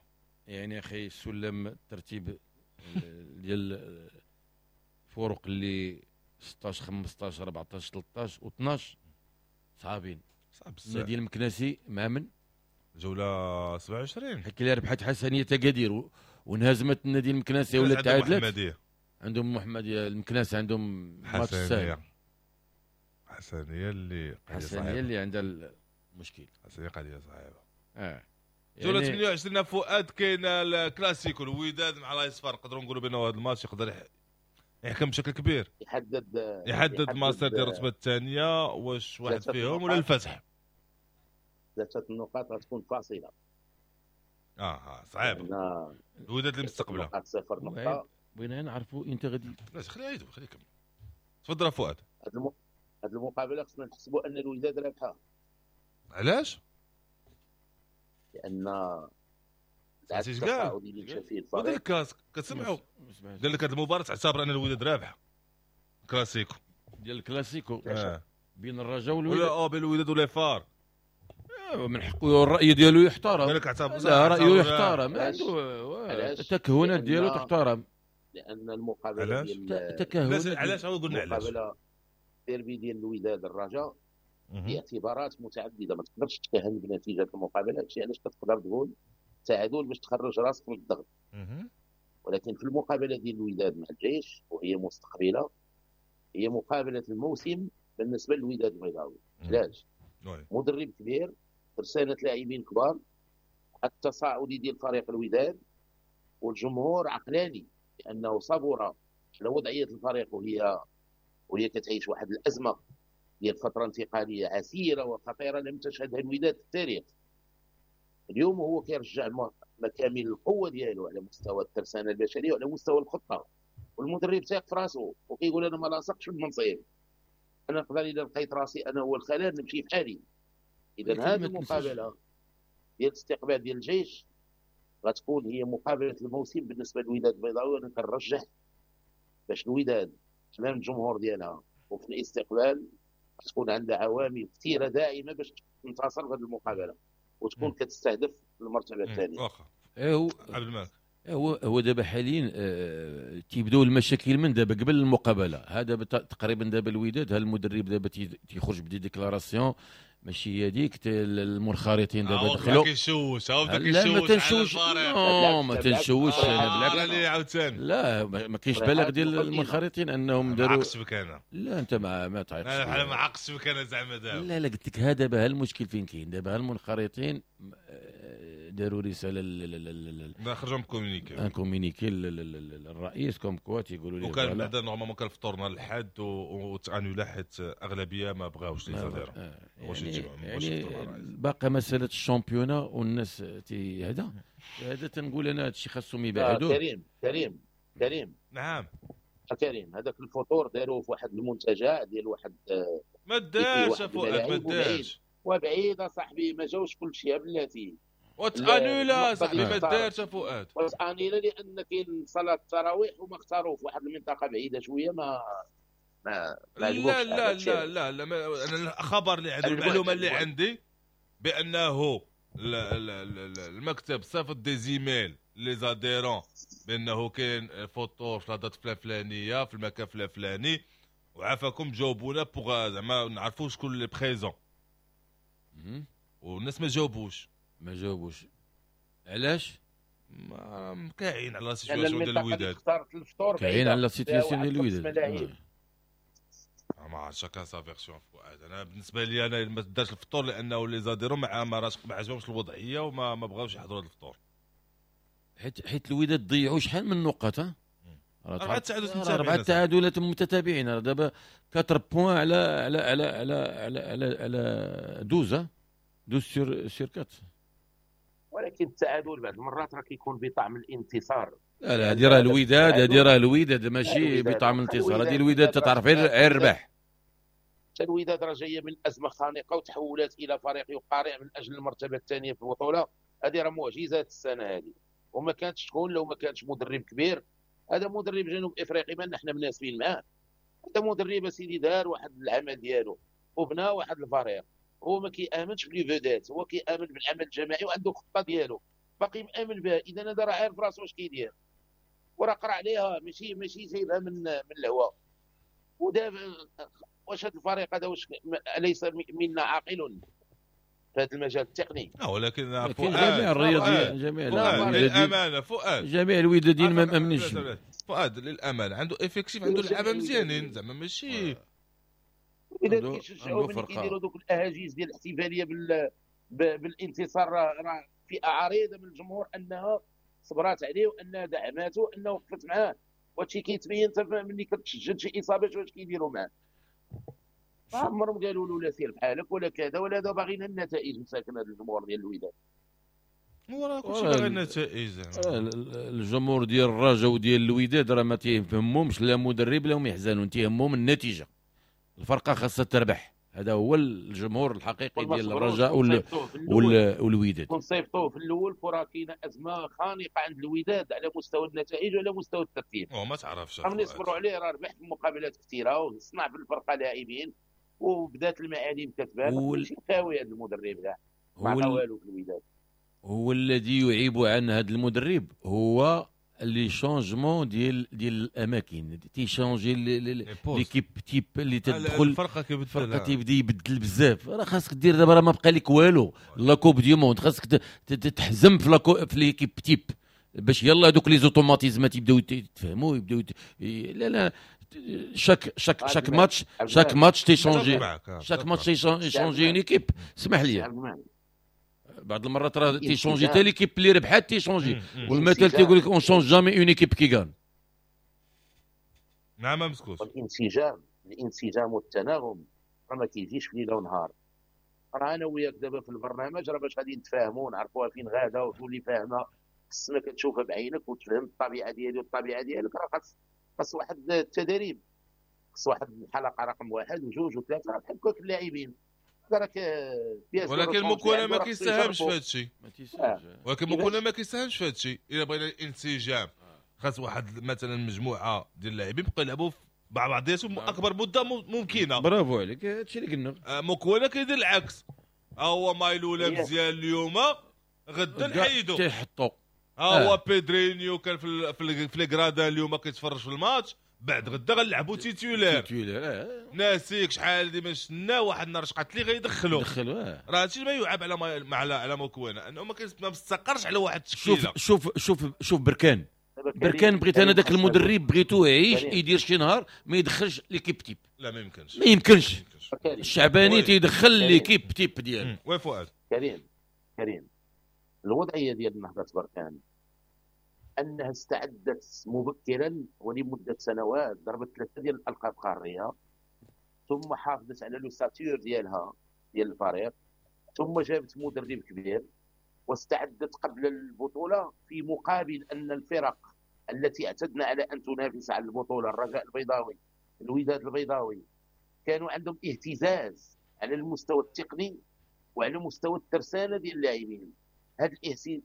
يعني اخي السلم الترتيب ديال الفرق اللي 16 15 14 13 و12 صعابين. صعب بزاف. النادي المكناسي مع من؟ جولة 27 حيت اللي ربحت حسنيه اكادير وانهزمت النادي المكناسي ولا تعادلت. عندهم محمديه المكناسي، عندهم ماتش ساهل. حسنيه اللي حسنيه اللي عندها المشكل، حسنيه قضية صعيبة. جولة 28 فؤاد كاين الكلاسيكو الوداد مع لايصفار، نقدروا نقولوا بانه هذا الماتش يقدر يحكم بشكل كبير، يحدد المسار ديال الرتبة الثانية، واش واحد فيهم ولا الفتح. ثلاثة النقاط غتكون فاصلة. صعيب. الوداد اللي مستقبله 0 نقطة. بغينا نعرفوا انت غادي. لا خليه يدوي، خليه يكمل. تفضل فؤاد. هذه المقابلة خصنا نحسبوا ان الوداد رابحه. علاش؟ لان التعادل اللي مشى فيه الفريق ودير ال casque كتسمعوا، قال لك هذه المباراة تعتبر ان الوداد رابحه. كلاسيكو ديال الكلاسيكو بين الرجاء والوداد، ولا بين الوداد و les FAR. من حقه الراي ديالو يحترم. قال لك اعتبر، لا رايه يحترم، عنده التكهنات ديالو تحترم. لان المقابلة ديال التكهنات، علاش هو قلنا علاش الديربي ديال الوداد الرجاء باعتبارات متعددة، ما تقدرش تكهن بنتيجة المقابلة. هادشي علاش كتقدر تقول تعادل باش تخرج راسك من الضغط. ولكن في المقابلة ديال الوداد مع الجيش وهي مستقبله، هي مقابله الموسم بالنسبة للوداد البيضاوي. علاش؟ مدرب كبير، ترسانه لاعبين كبار، التصاعدي ديال فريق الوداد، والجمهور عقلاني لانه صبر على وضعية الفريق وهي كتعيش واحد الازمة ديال فترة انتقالية عسيرة وخطيرة لم تشهدها الوداد في التاريخ. اليوم هو كيرجع مكامن القوة ديالو على مستوى الترسانه البشرية وعلى مستوى الخطة، والمدرب تايق في راسو وكيقول انا ما لاصقش بالمنصب، انا نقدر اذا لقيت راسي انا هو الخلل نمشي في حالي. اذا هذه المقابلة ديال الاستقبال ديال الجيش غتكون هي مقابله الموسم بالنسبة للوداد البيضاوي، وانا كنرجح باش الوداد امام الجمهور ديالها وفي الاستقبال تكون عندها عوامل كثيرة دائمة باش تنتصر في هذه المقابلة وتكون كتستهدف المرتبة الثانية. واخا عبد الملك، هو دابا حاليا تيبداو المشاكل من دابا قبل المقابلة. هذا تقريبا دابا الوداد، ها المدرب دابا تيخرج ب des déclarations ماشي هي ديك، المنخرطين دابا دخلوا كيشوش، لا ما تنشوش، ما تنشوش انا بالعكس عاوتاني، لا ما كاينش بلاغ ديال المنخرطين انهم داروا. عقص بك انا، لا انت ما تعيقش، انا ما عقص بك انا زعما دابا، لا لا قلت لك هذا دابا المشكل فين كاين. دابا المنخرطين داروا رسالة، خرجوا communiqué، un communiqué للرئيس comme quoi تيقولوا لي، وكان بعدا normalement كان الفطور نهار الحد وت annula حيت اغلبية ما بغاوش les adhérents. يعني باقي مسالة ال championnat والناس هذا تنقول انا هادشي خاصهم يبعدوه. كريم كريم كريم، نعم كريم، هذاك الفطور داروه في واحد المنتجع ديال واحد ما دارش فؤاد، ما دارش وبعيد صاحبي، ما جاوش كلشي بلاتي وت annula صاحبي، ما دارش فؤاد وت annula لان كاين صلاة التراويح وما اختاروه في واحد المنطقة بعيدة شوية، ما ما لا لا لا لا لا، انا الخبر اللي عندي، المعلومة اللي عندي بانه المكتب صيفط des emails les adhérents بانه كاين فطور في la date الفلانية في المكان الفلاني، وعافاكم جاوبونا pour زعما نعرفوا شكون les présents، والناس ما جاوبوش. ما جاوبوش علاش؟ ما كاين على situation ديال الوداد، كاين على situation ديال الوداد، ما عرفتش chacun sa version فؤاد. انا بالنسبة لي انا ما دارش الفطور لانه les adhérents ما عجبهمش الوضعية وما ما بغاوش يحضروا هذا الفطور، حيت الوداد ضيعوا شحال من نقط، ها 4 تعادلات متتابعين، راه دابا 4 points على على على على على على, على 12 12 sur 4. ولكن التعادل بعض المرات راه كيكون بطعم الانتصار. لا لا هذه راه الوداد، هذه راه الوداد ماشي بطعم الانتصار، هذه الوداد تتعرف غير الربح. حتى الوداد راه جاية من ازمة خانقه وتحولت الى فريق يقارع من اجل المرتبة الثانية في البطولة. هذه راه معجزات السنة هذه، وما كانتش تكون لو ما كانش مدرب كبير. هذا مدرب جنوب افريقي ما حنا مناسبين معاه، هذا مدرب سيدي دار واحد العمل ديالو وبنى واحد الفريق، هو ما كيامنش ب les vedettes، هو كيامن بالعمل الجماعي وعنده خطه ديالو باقي مامن بها. اذا هذا راه عارف راسو واش كيدير وراه قرا عليها، ماشي جايبها من الهواء. ودابا واش هذا الفريق هذا واش ليس منا عاقل في هذا المجال التقني؟ ولكن جميع الرياضيين، جميع للامانة فؤاد، جميع الوداديين ما مامنينش فؤاد للامانة، عنده effectif، عنده لعابه مزيانين زعما ماشي اذا كيشجعوا ملي كيديروا دوك الاهاجيس ديال الاحتفالية بالانتصار. راه فئة عريضة من الجمهور انها صبرات عليه وانها دعماته وانها وقفت معاه، وهادشي كيتبين حتى ملي كتسجل شي اصابات واش كيديروا معاه. ما عمرهم قالوا له لا سير بحالك ولا كذا ولا هذا، باغيين النتائج مساكن هذا الجمهور ديال الوداد. وراه كلشي باغي النتائج. الجمهور ديال الرجاء وديال الوداد راه ما تيهمهمش لا مدرب لا هم يحزنون، تيهمهم النتيجة، الفرقة خاصها تربح. هذا هو الجمهور الحقيقي ديال الرجاء والوداد. كون صيفطوه في الاول كره كاينه ازمة خانقه عند الوداد على مستوى النتائج وعلى مستوى الترتيب. ما تعرفش ملي صبروا عليه راه ربح في مقابلات كثيرة وصنع في الفرقة لاعبين وبدات المعالم كتبان. ماشي خاوي هذا المدرب كاع، ما عطا والو في الوداد. هو الذي يعيب عن هذا المدرب هو les changements ديال الاماكن، تي changer l'équipe type اللي تدخل الفرقة كيبدل، الفرقة تيبدا يبدل بزاف. راه خاصك دير دابا، راه ما بقى لك والو la Coupe du monde، خاصك تحزم في في l'équipe type باش يلا هذوك les automatismes تيبداو يتفهموا، يبداو لا لا chaque match، chaque match تي changer، chaque match تي changer une équipe. اسمح لي بعض المرات راه تي changer حتى l'équipe اللي ربحات تي changer، والمثل تيقول لك on change jamais une équipe qui gagne. نعم مسكوت. الانسجام والتناغم راه ما كيجيش في ليلة ونهار. راه انا وياك دابا في البرنامج راه باش غادي نتفاهموا ونعرفوها فين غاده وتولي فاهمه، خصنا كتشوفها بعينك وتفهم الطبيعة ديالي والطبيعة ديالك. راه خاص واحد التدريب، خاص واحد الحلقة رقم 1 و2 و3، راه بحال هكاك اللاعبين. ولكن موكونا ما كيساهمش في هذا الشيء، ولكن موكونا ما كيساهمش في هذا الشيء. الا بغينا الانسجام خاص واحد مثلا مجموعة ديال اللاعبين يبقاو يلعبوا مع بعضياتهم اكبر مده ممكنة. برافو عليك، هادشي اللي قلنا. موكونا كيدير العكس، ها هو مايلولا مزيان اليوم، غدا نحيدو تيحطو. ها هو بيدرينيو كان في les gradins اليوم كيتفرج في الماتش، بعد غدا غنلعبوا titulaire. ناسيك شحال ديما شنا واحد النهار شقات لي غيدخلوا راه هادشي ما يعاب على على موكوينه، انه ما مستقرش على واحد التشكيلة. شوف شوف شوف بركان بغيت انا داك المدرب بغيتو يعيش يدير شي نهار ما يدخلش l'équipe type. لا ما يمكنش، ما يمكنش. الشعباني تيدخل l'équipe type ديالو. oui فؤاد. كريم الوضعية ديال نهضة بركان انها استعدت مبكرا ولمده سنوات، ضربت 3 ديال الالقاب قارية، ثم حافظت على l'ossature ديالها ديال الفريق، ثم جابت مدرب كبير واستعدت قبل البطولة، في مقابل ان الفرق التي اعتدنا على ان تنافس على البطولة، الرجاء البيضاوي، الوداد البيضاوي، كانوا عندهم اهتزاز على المستوى التقني وعلى مستوى الترسانه ديال اللاعبين. هذا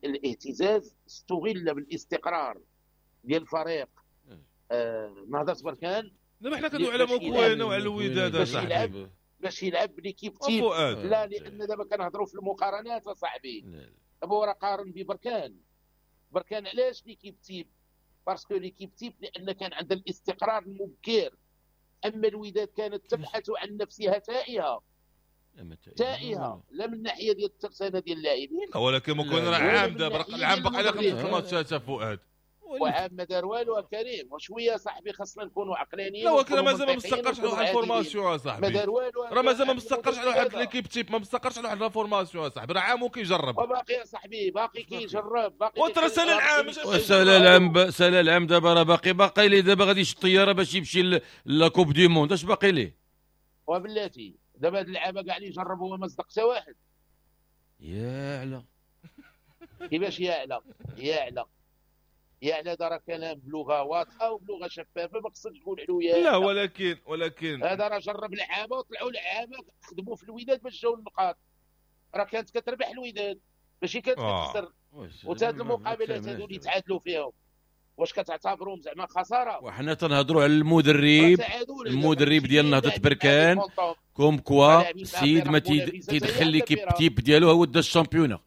الاهتزاز استغل بالاستقرار ديال الفريق نهضة بركان. دابا حنا كندويو على موكوينه وعلى الوداد اصاحبي باش يلعب ب l'équipe type. لا، لان دابا كنهضروا في المقارنات اصاحبي. دابا راه قارن ببركان. بركان علاش l'équipe type؟ parce que l'équipe type لان كان عندها الاستقرار المبكر. اما الوداد كانت تبحث عن نفسها تائهه تائهه، لا من الناحية ديال الترسانه ديال اللاعبين. ولكن ممكن راه عام دابا العام باقي على 5 الماتشات فؤاد، وعام ما دار والو كريم. وشوية صاحبي خاصنا نكونوا عقلانيين. لا ولكن مازال ما مستقرش على واحد ال formation اصاحبي، ما دار والو، راه مازال ما مستقرش على واحد l'équipe type، ما مستقرش على واحد la formation اصاحبي، راه عام وكيجرب. وباقي اصاحبي باقي كيجرب، باقي وترى سال العام، سال العام، سال العام دابا راه باقي ليه دابا غادي يشد الطيارة باش يمشي la Coupe du monde، اش باقي ليه؟ وبلاتي دابا هاد اللعابه كاع اللي جربوها ما صدق حتى واحد. يا علا كيفاش يا علا؟ يا علا يا علا هذا راه كلام بلغه واضحة وبلغه شفافة، ما خصكش تقول علو يا لا. ولكن هذا راه جرب لعابه وطلعوا لعابه خدموا في الوداد باش جاو النقاط. راه كانت كتربح الوداد ماشي كانت كتخسر. وتا هاد المقابلات هادو اللي تعادلوا فيهم واش كتعتبروهم زعما خسارة؟ وحنا تنهضروا على المدرب، المدرب ديال نهضة بركان comme quoi السيد ما تيدخل l'équipe type ديالو هو دا ال championnat.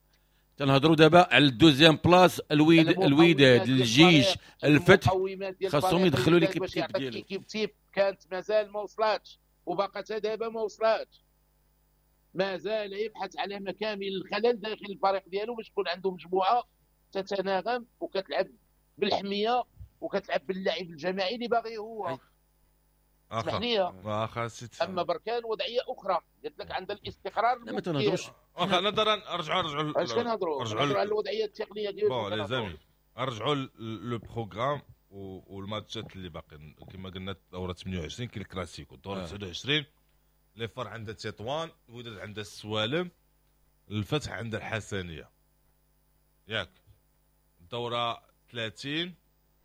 تنهضروا دابا على ال deuxième place، الوداد، الجيش، الفتح، خاصهم يدخلوا l'équipe type ديالو. l'équipe type كانت مازال ما وصلاتش وباقا حتى دابا ما وصلاتش، مازال يبحث على مكامن الخلل داخل الفريق ديالو باش تكون عنده مجموعة تتناغم وكتلعب بالحميه وكتلعب باللعب الجماعي اللي باغي هو. اسمح لي، اما بركان وضعية اخرى، قلت لك عندها الاستقرار. لا ما تنهضروش. واخا نظرا رجعوا اش كنهضروا؟ رجعوا على الوضعية التقنية ديال bon les amis، رجعوا le programme والماتشات اللي باقيين. كما قلنا الدورة 28 كاين الكلاسيكو، الدورة 29 les FAR عندها تطوان، الوداد عندها السوالم، الفتح عندها الحسنيه، ياك. الدورة 30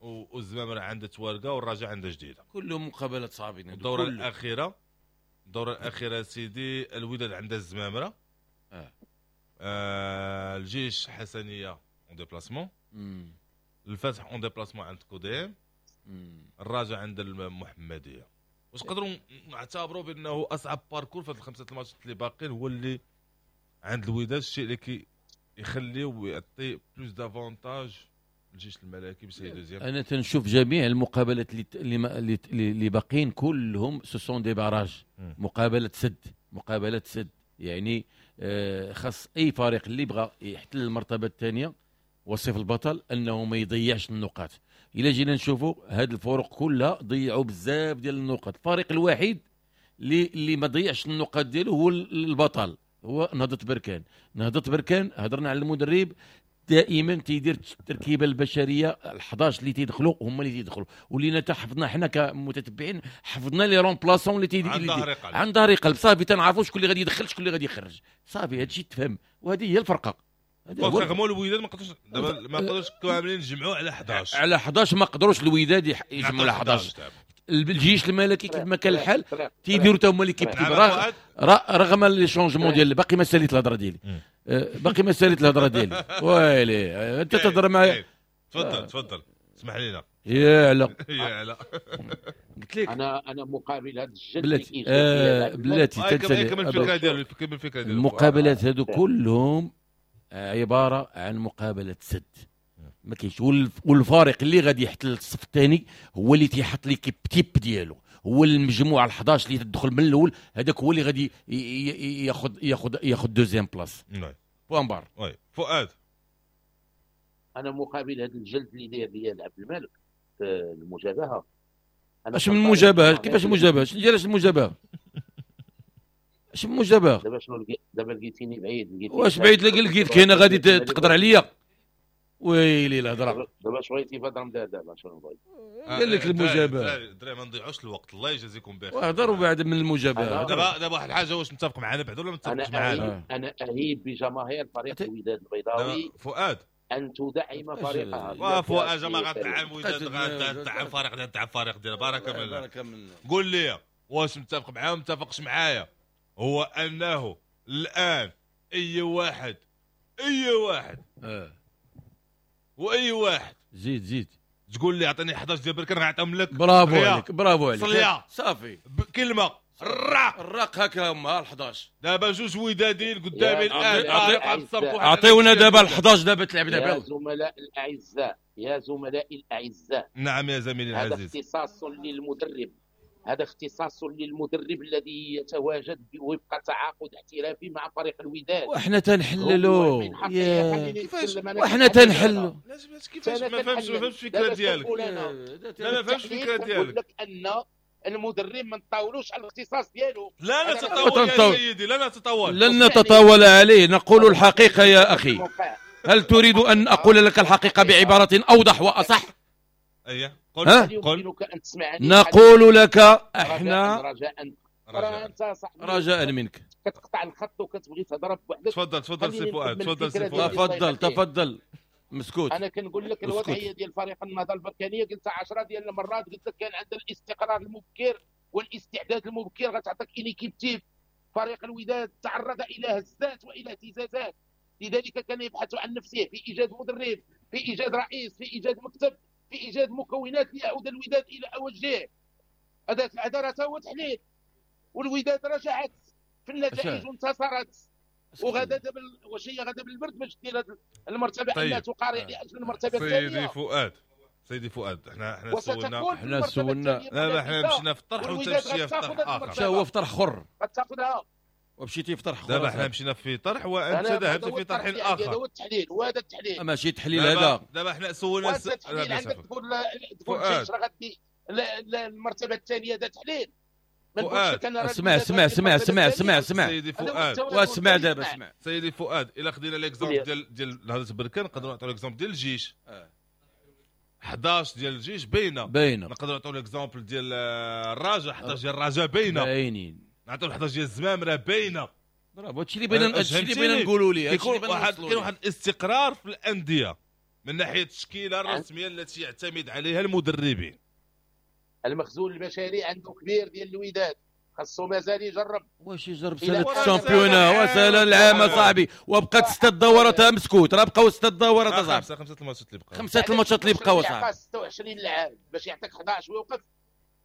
والزمامرة عندها توارقه والرجاء عندها جديدة. كلهم مقابلات صعبين. الدورة الاخيرة، الدورة الاخيرة سيدي الوداد عندها الزمامره، الجيش حسنيه en déplacement، الفتح en déplacement عند كوديم، الرجاء عند المحمدية. واش نقدروا نعتبروا بانه اصعب parcours في هاد الخمسة الماتشات اللي باقيين هو اللي عند الوداد، الشيء اللي كي يخليه ويعطي plus d'avantages الجيش الملكي باش deuxième. انا تنشوف جميع المقابلات اللي اللي باقيين كلهم ce sont des barrages، مقابله سد، مقابله سد، يعني خاص اي فريق اللي بغى يحتل المرتبة الثانية وصف البطل انه ما يضيعش النقاط. الا جينا نشوفوا هاد الفرق كلها ضيعوا بزاف ديال النقاط، الفريق الوحيد اللي ما ضيعش النقاط ديالو هو البطل، هو نهضة بركان. نهضة بركان هضرنا على المدرب دائما تيدير التركيبة البشرية ال11 اللي تيدخلوا هما اللي تيدخلوا، ولينا تا حفظنا حنا كمتتبعين، حفظنا les remplaçants اللي تيدير عن ظهر قلب. عن ظهر قلب، صافي تنعرفوا شكون اللي غادي يدخل شكون اللي غادي يخرج، صافي هادشي تفهم، وهذه هي الفرقة. contrairement الوداد ما قدروش دابا، ما قدروش كاملين يجمعوا على 11. على 11 ما قدروش الوداد يجمعوا على 11. الجيش الملكي كيف ما كان الحال تيديروا تا هما l'équipe، رغم les changements ديال، باقي ما ساليت الهضرة ديالي، باقي ما ساليت الهضرة ديالي، ويلي انت تهضر معايا. تفضل تفضل، اسمح لينا. يا لا يا لا، قلت لك انا مقابل هذا الجد. بلاتي بلاتي كمل الفكرة ديالو، كمل الفكرة ديالو. المقابلات هادو كلهم عبارة عن مقابله سد، ما كاينش. والفارق اللي غادي يحتل الصف الثاني هو اللي تيحط l'équipe type ديالو، هو المجموعة ال11 اللي تدخل من الاول، هذاك هو اللي غادي ياخذ deuxième place. point barre. oui فؤاد، انا مقابل هذا الجلد اللي داير ليا عبد الملك في المجابهه. اش من المجابهه؟ كيفاش المجابهه؟ شنو ديال المجابهه؟ اش من المجابهه؟ دابا شنو دابا لقيتيني بعيد؟ واش بعيد؟ لقيتك هنا غادي تقدر عليا؟ ويلي الهضرة. دابا اش بغيتي في رمضان؟ دابا شنو بغيت؟ قال لك المجابهه. الدراري ما نضيعوش الوقت، الله يجازيكم بخير. وهضروا بعد من المجابهه. دابا واحد الحاجة، واش متفق معنا بعد ولا ما متفقش معنا؟ انا اهيب بجماهير فريق الوداد البيضاوي فؤاد ان تدعم فريقها. فؤاد ما غتدعم وداد، غتدعم فريق، غتدعم فريق ديال. بارك من قول لي واش متفق معايا ولا متفقش معايا؟ هو انه الان اي واحد واي واحد زيد تقول لي اعطيني 11 ديال بركان غنعطيهم لك. برافو عليك، برافو عليك، صافي كلمة الراق هكا هما ال11. دابا جوج ودادين قدامي الان، اعطيونا دابا ال11 دابا تلعب دابا. يا زملاء الاعزاء، يا زملائي الاعزاء. نعم يا زميلي العزيز، هذا اختصاص للمدرب، هذا اختصاص للمدرب الذي يتواجد وفق تعاقد احترافي مع فريق الوداد. وحنا تنحللوا، وحنا تنحلوا. كيفاش ما فهمتش الفكرة ديالك؟ لا ما فهمتش الفكرة ديالك. لك ان المدرب ما نطاولوش على الاختصاص ديالو. لا نتطاول يا سيدي، لا نتطاول، لن نتطاول عليه، نقول الحقيقة يا اخي. هل تريد ان اقول لك الحقيقة بعبارة اوضح واصح؟ اييه قل. نقول لك احنا رجاء منك، كتقطع الخط وكتبغي تهضر بوحدك. تفضل تفضل سي فؤاد، تفضل سي فؤاد، تفضل تفضل. مسكوت. انا كنقول لك الوضعية ديال فريق النهضة البركانيه قلتها 10 ديال المرات، قلت لك كان عندها الاستقرار المبكر والاستعداد المبكر غتعطيك une équipe type. فريق الوداد تعرض الى هزات والى اهتزازات، لذلك كان يبحث عن نفسه في ايجاد مدرب، في ايجاد رئيس، في ايجاد مكتب، في ايجاد مكونات ليعود الوداد الى اوجه. هذا راه هو تحليل، والوداد رجعت في النتائج وانتصرت، وغدا واش هي غدا بالبرد باش دير هذه المرتبة. طيب. انها تقارع لاجل المرتبة الثانية. سيدي فؤاد، سيدي فؤاد، احنا سولنا، لا احنا مشينا في الطرح وانت مشيتي في طرح اخر. مشى هو في طرح اخر، غتاخذها ومشيتي في طرح اخر. دابا احنا مشينا في طرح وانت ذهبت في طرح اخر. هذا هو التحليل وهذا التحليل، ماشي تحليل هذا. دابا احنا سولنا عندك تقول الجيش راه غادي المرتبة الثانية، هذا تحليل. اسمع اسمع اسمع اسمع اسمع اسمع سيدي فؤاد، واسمع دابا اسمع سيدي فؤاد. الا خدينا l'exemple ديال نهضة بركان نقدروا نعطيو l'exemple ديال الجيش. 11 ديال الجيش باينة، نقدروا نعطيو l'exemple ديال الرجاء، 11 ديال الرجاء باينة، باينين. نعطيو 11 ديال الزمامره باينة. برافو، هادشي اللي بغينا، هادشي اللي بغينا نقولوا ليه. كاين واحد الاستقرار في الاندية من ناحية التشكيلة الرسمية التي يعتمد عليها المدربين. المخزون البشري عنده كبير ديال الوداد، خاصو مازال يجرب. واش يجرب سنة ال championnat وسنة العام صاحبي، وبقات 6 دورات مسكوت، راه بقاو 6 دورات اصاحبي. خمسة الماتشات اللي بقاو، 5 الماتشات اللي بقاو اصاحبي. 26 لاعب باش يعطيك 11 ويوقف،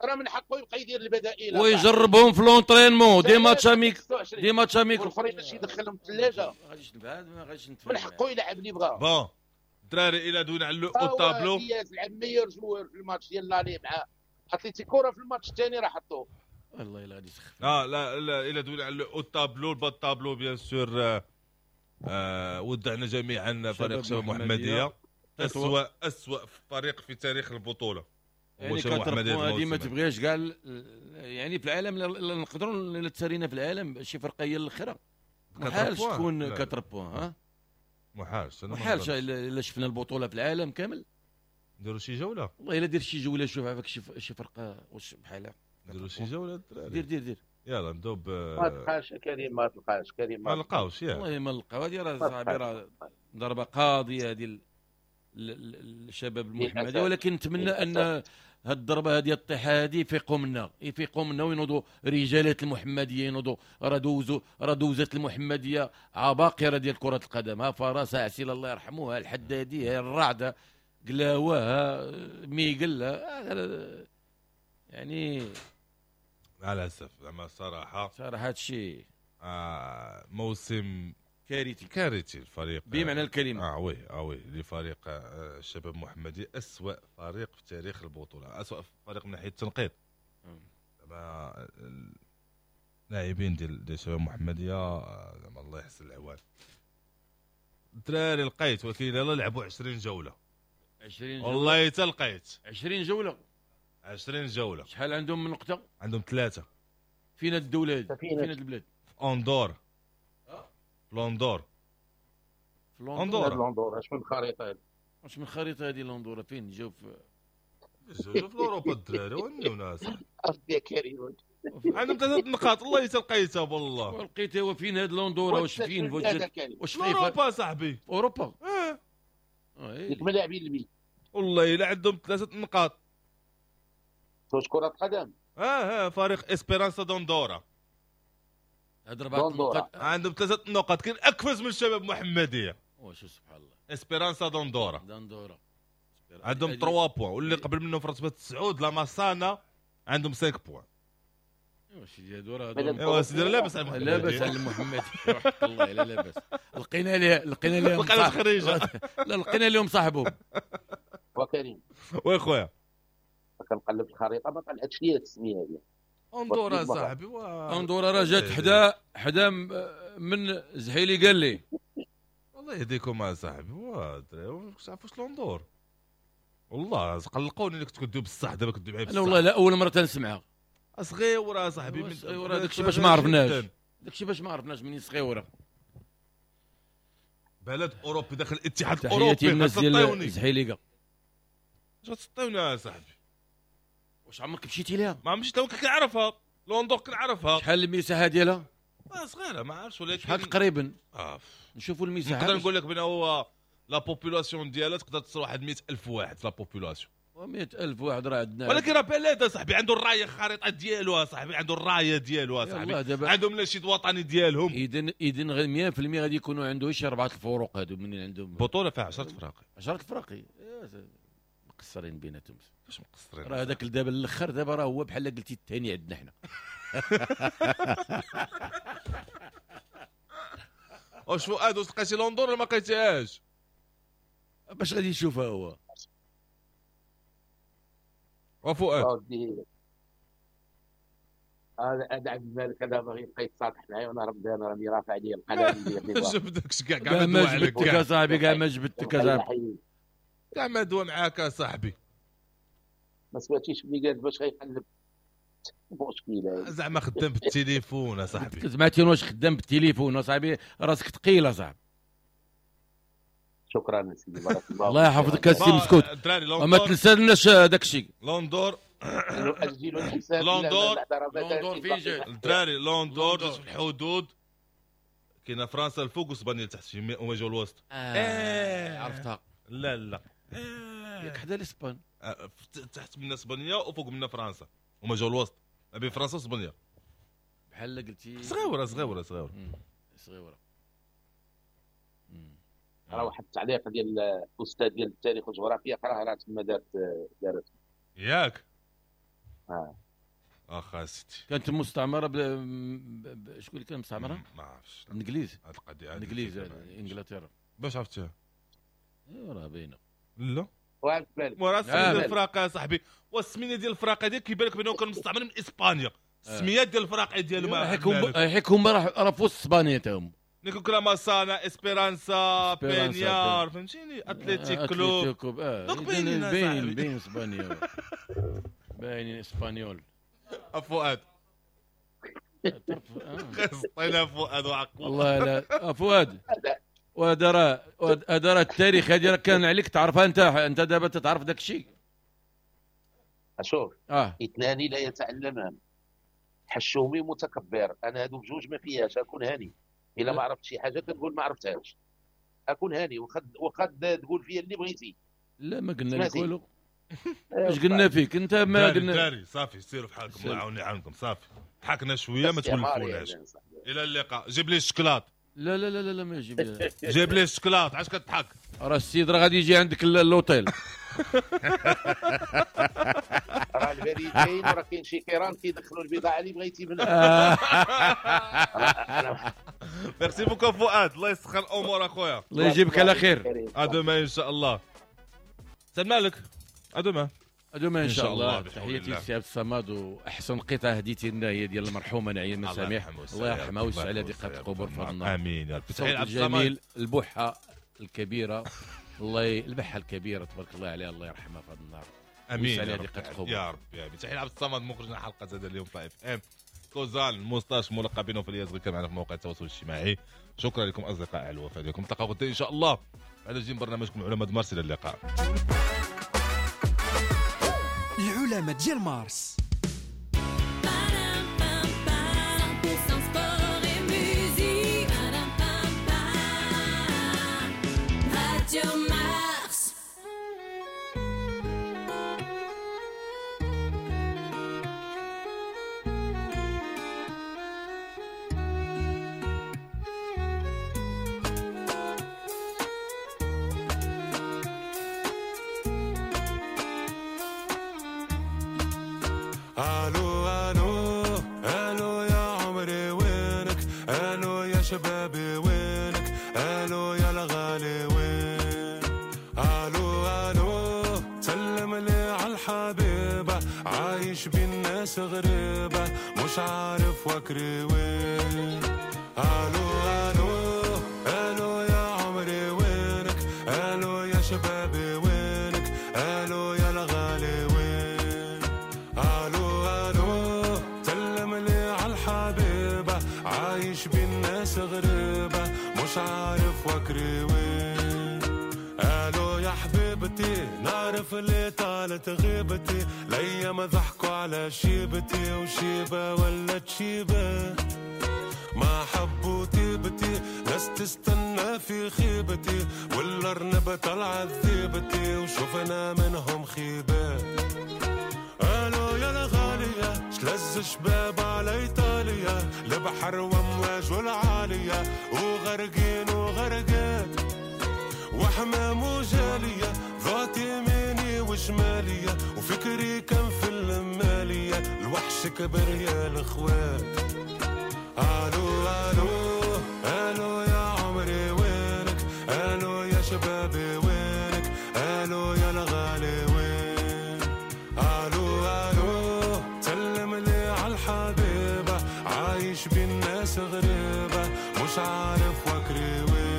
راه من حقه يبقى يدير البدائل ويجربهم في l'entraînement، des matchs amicaux، des matchs amicaux والاخرين باش يدخلهم الثلاجة. من حقه يلعب اللي بغا. bon الدراري الى دوينا على le tableau، لعب meilleur joueur في الماتش ديال l'aller مع اتليتيكو، راه في الماتش الثاني راه حطوه. والله الا غادي يسخف. لا لا الى دوينا على le tableau، ال bas tableau bien sûr. ودعنا جميعا فريق شباب محمديه، اسوأ فريق في تاريخ البطولة. يعني 4 points هذه ما تبغيش كاع، يعني في العالم نقدروا الا تسارينا في العالم شي فرقه هي الاخرى محالش تكون 4 points. ها محالش، محالش. الا شفنا البطولة في العالم كامل نديروا شي جولة، والله الا دير شي جولة، شوف عافاك شي فرقه واش بحالها، نديروا شي جولة الدراري. دير دير دير، يلا نبداو ب ما تلقاش كريم، ما تلقاش كريم، ما لقاوش ياك، والله ما لقاو. هذه راه صاحبي راه ضربه قاضيه هذه الشباب المحمدي، ولكن نتمنى ان هاد الضربة هذه الطيحه هذه يفيقوا منا، يفيقوا منا وينوضوا رجالات المحمدية، ينوضوا. راه دوزوا، راه دوزت المحمدية عباقره ديال كره القدم، ها فراسه عسيله الله يرحموها، الحدادي، ها الرعده، قلاوه، ها ميقل، يعني على الاسف زعما صراحة صراحة هادشي موسم كارثي، كارثي الفريق بمعنى الكلمة. oui oui لفريق الشباب المحمدي، اسوأ فريق في تاريخ البطولة، اسوأ فريق من ناحية التنقيط. زعما اللاعبين ديال الشباب المحمدية زعما الله يحسن العوان. الدراري لقيت، ولكن يلاه لعبوا 20 جولة، 20 جولة والله حتى لقيت 20 جولة، 20 جولة. شحال عندهم من نقطة؟ عندهم 3. فين الدولة هذه؟ فين البلاد؟ في اندور، في لوندور، في لوندور، لوندور. اش من خريطة هذه؟ اش من خريطة هذه لوندور؟ فين جاو؟ في جاو في اوروبا الدراري وناس يا كريم عندهم 3 نقاط. والله حتى لقيتها والله لقيتها. وفين هاد لوندور؟ واش فين؟ واش في اوروبا صاحبي؟ اوروبا ديك ملاعبين البيت والله الا عندهم 3 نقاط. واش كرة قدم؟ فريق اسبيرانسا دوندورا هاد 4 نقاط، عندهم 3 نقاط، كاين اكفز من الشباب المحمدية. واش سبحان الله، اسبيرانسا دوندورا، دوندورا عندهم 3 points، واللي قبل منهم في رتبه 9 لا ماسانا عندهم 5 points. ايوا سيدي هادو راه ايوا سيدي لاباس على المحمدي، لاباس على المحمدي والله الا لاباس. لقينا ليه، لقينا لهم خريجة، لا لقينا لهم صاحبهم. وكريم oui خويا كنقلب الخريطة ما طلعتش لي التسمية هذه. اندورا صاحبي، اندورا راه جات حدا من زحيلي قال لي والله يهديكم يا صاحبي. وا واش عرفوش لوندور؟ والله قلقوني اللي كنت كدوي بصح، دابا كدوي معايا بصح. انا والله لا اول مرة تنسمعها. صغيرة صاحبي، من صغيرة داكشي باش ما عرفناش، داكشي باش ما عرفناش منين صغيرة. بلد اوروبي داخل الاتحاد الاوروبي. تحياتي للناس ديال زحيليكا. اش غتسطيوني يا صاحبي؟ واش عمرك مشيتي ليها؟ ما مشيت لها، كنعرفها لوندور كنعرفها. شحال المساحة ديالها؟ صغيرة ما عرفتش، ولكن شحال تقريبا؟ نشوفوا المساحة. نقدر نقول لك بان هو la population ديالها تقدر تصل واحد 100,000 واحد la population. 100,000 واحد راه عندنا، ولكن راه بلاد صاحبي عنده الراية الخريطة ديالو صاحبي، عنده الراية ديالو صاحبي، عندهم النشيد الوطني ديالهم. اذا غير 100% غادي يكونوا عنده شي 4 الفروق هادو منين عندهم بطوله فيها 10 فراق، 10 فراق مقصرين بيناتهم. كيفاش مقصرين؟ راه هذاك دابا الاخر دابا راه هو بحال قلتي الثاني عندنا حنا. واش فؤاد واش لقيتي لوندور ولا ما لقيتيهاش؟ باش غادي يشوفها هو وفؤاد. هذا عبد الملك هذا باغي يبقى يتصالح معايا وانا رمضان راني رافع عليه القلم ديالي. جبدكش كاع كاع ما جبدتك يا صاحبي، كاع ما جبدتك يا صاحبي، كاع ما دوا معاك يا صاحبي. ما سمعتيش ملي قال باش غيقلب مشكلة زعما خدام بالتليفون يا صاحبي. سمعتي واش خدام بالتليفون يا صاحبي؟ راسك ثقيل يا صاحبي. شكرا سيدي، بارك الله. الله يحفظك السي مسكوت، ما تنسالناش داك الشيء. لوندور نؤجل الحساب. لوندور لوندور فين جات الدراري؟ لوندور جات في الحدود، كاينه فرنسا الفوق واسبانيا تحت، في هما جاو الوسط. عرفتها. لا لا ياك حدا الاسبان، تحت منا اسبانيا وفوق منا فرنسا، هما جاو الوسط ما بين فرنسا واسبانيا. بحال قلتي صغيرة صغيرة صغيرة صغيرة. راه واحد التعليق ديال الاستاذ ديال التاريخ والجغرافيا قراه راه تما دارت ياك. اخا سيدي كانت مستعمرة شكون اللي كان مستعمرة؟ ما عرفتش. الانجليز. هاد القضية الانجليز انجلترا. باش عرفتيها؟ ايوا راه باينة. لا وعرفت بالك وراه السمية ديال الفراقه يا صاحبي، والسميه ديال الفراقه ديال كيبان لك بانه كان مستعمر من اسبانيا. السميات ديال الفراقه ديالهم حيك هما راه في وسط اسبانيا تاهم. نيكو كلاماسانا، اسبيرانسا، بينيار، فهمتيني، اتليتيك كلوب. donc باينين باين باين اسبانيا، باينين espagnol. فؤاد خصطينا فؤاد وعقل والله. لا فؤاد وهذا راه هذا راه التاريخ، هذه راه كان عليك تعرفها انت دابا تتعرف داك الشيء. شوف اثنان لا يتعلمان، حشومي متكبر. انا هادو بجوج ما فيهاش، اكون هاني الا ما عرفت شي حاجة كتقول ما عرفتهاش، اكون هاني وخد تقول فيا اللي بغيتي. لا ما قلنا لك والو، اش قلنا فيك انت؟ ما قلنا داري صافي، سيروا في حالكم، الله يعاوني يعاونكم. صافي حكنا شوية ما تولفوناش. الى اللقاء. جيب لي الشكلاط. لا لا لا لا ما يجيب لي. جيب لي الشكلاط. علاش كتضحك؟ راه السيد راه غادي يجي عندك l'hôtel. راه البريد كاين، وراه كاين شي كيران كيدخلوا البضاعة اللي بغيتي منها. merci beaucoup فؤاد، الله يسخر الامور اخويا، الله يجيبك على خير. à demain ان شاء الله. سلام عليك. à demain à demain ان شاء الله. تحياتي لسي عبد الصمد، واحسن قطعه هديتي لنا هي ديال المرحومة نعيم مسامح، الله يرحمها ويوسع عليها ضيقه القبور في هذا النهار. امين يا رب. تحية عبد الجميل، البحه الكبيرة، الله البحه الكبيرة تبارك الله عليها، الله يرحمها في هذا النهار. امين يا رب يا رب. يا رب. تحية عبد الصمد مخرجنا حلقة هذا اليوم في FM كوزال موستاش ملقب بينه في الياس غير معنا في مواقع التواصل الاجتماعي. شكرا لكم اصدقائي على الوفاء ديالكم. نتلاقاو غدا ان شاء الله بعد جيم برنامجكم علماء مارس. الى اللقاء. العلماء ديال مارس. الو الو الو يا عمري وينك، الو يا شبابي وينك، الو يا الغالي وين، الو الو سلم لي على الحبيبة، عايش بين ناس غريبة مش عارف وكري وين، الو الو الو يا عمري وينك، الو يا شبابي وينك، الو يا الغالي وين، الو الو سلم لي على الحبيبة، عايش بين ناس غريبة مش عارف وكري وين، الو يا حبيبتي نعرف اللي طالت غيبتي، الايام ضحكوا على شيبتي وشيبة ولا تشيبة، ما حبوا تيبتي ناس تستنى في خيبتي، والارنب طلعت ذيبتي وشوفنا منهم خيبة، الو يا الغالية شلز شباب على ايطاليا، البحر وامواج والعالية وغرقين وغرقات وحمام وجالية، ضعت يميني وشمالية وفكري كان في المالية، الوحش كبر يا الاخوات، الو الو الو يا عمري وينك، الو يا شبابي وينك، الو يا الغالي وين، الو الو سلم لي على الحبيبة، عايش بين ناس غريبة مش عارف وكري وين.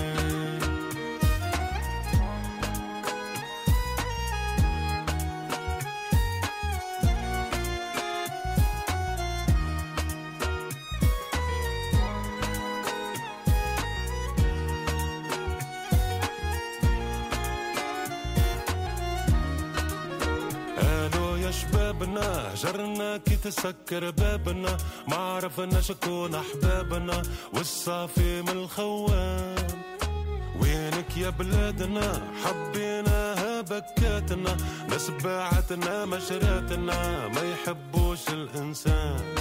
شبابنا هجرنا كي تسكر بابنا، ما عرفنا شكون احبابنا والصافي من الخوان، وينك يا بلادنا حبيناها بكاتنا، ناس باعتنا مشراتنا ما يحبوش الانسان،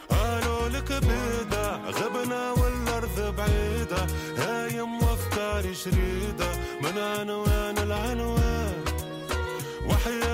قالوا لك بيضة غبنا والارض بعيدة، هايم وافكاري شريدة من عنوان العنوان، وحياة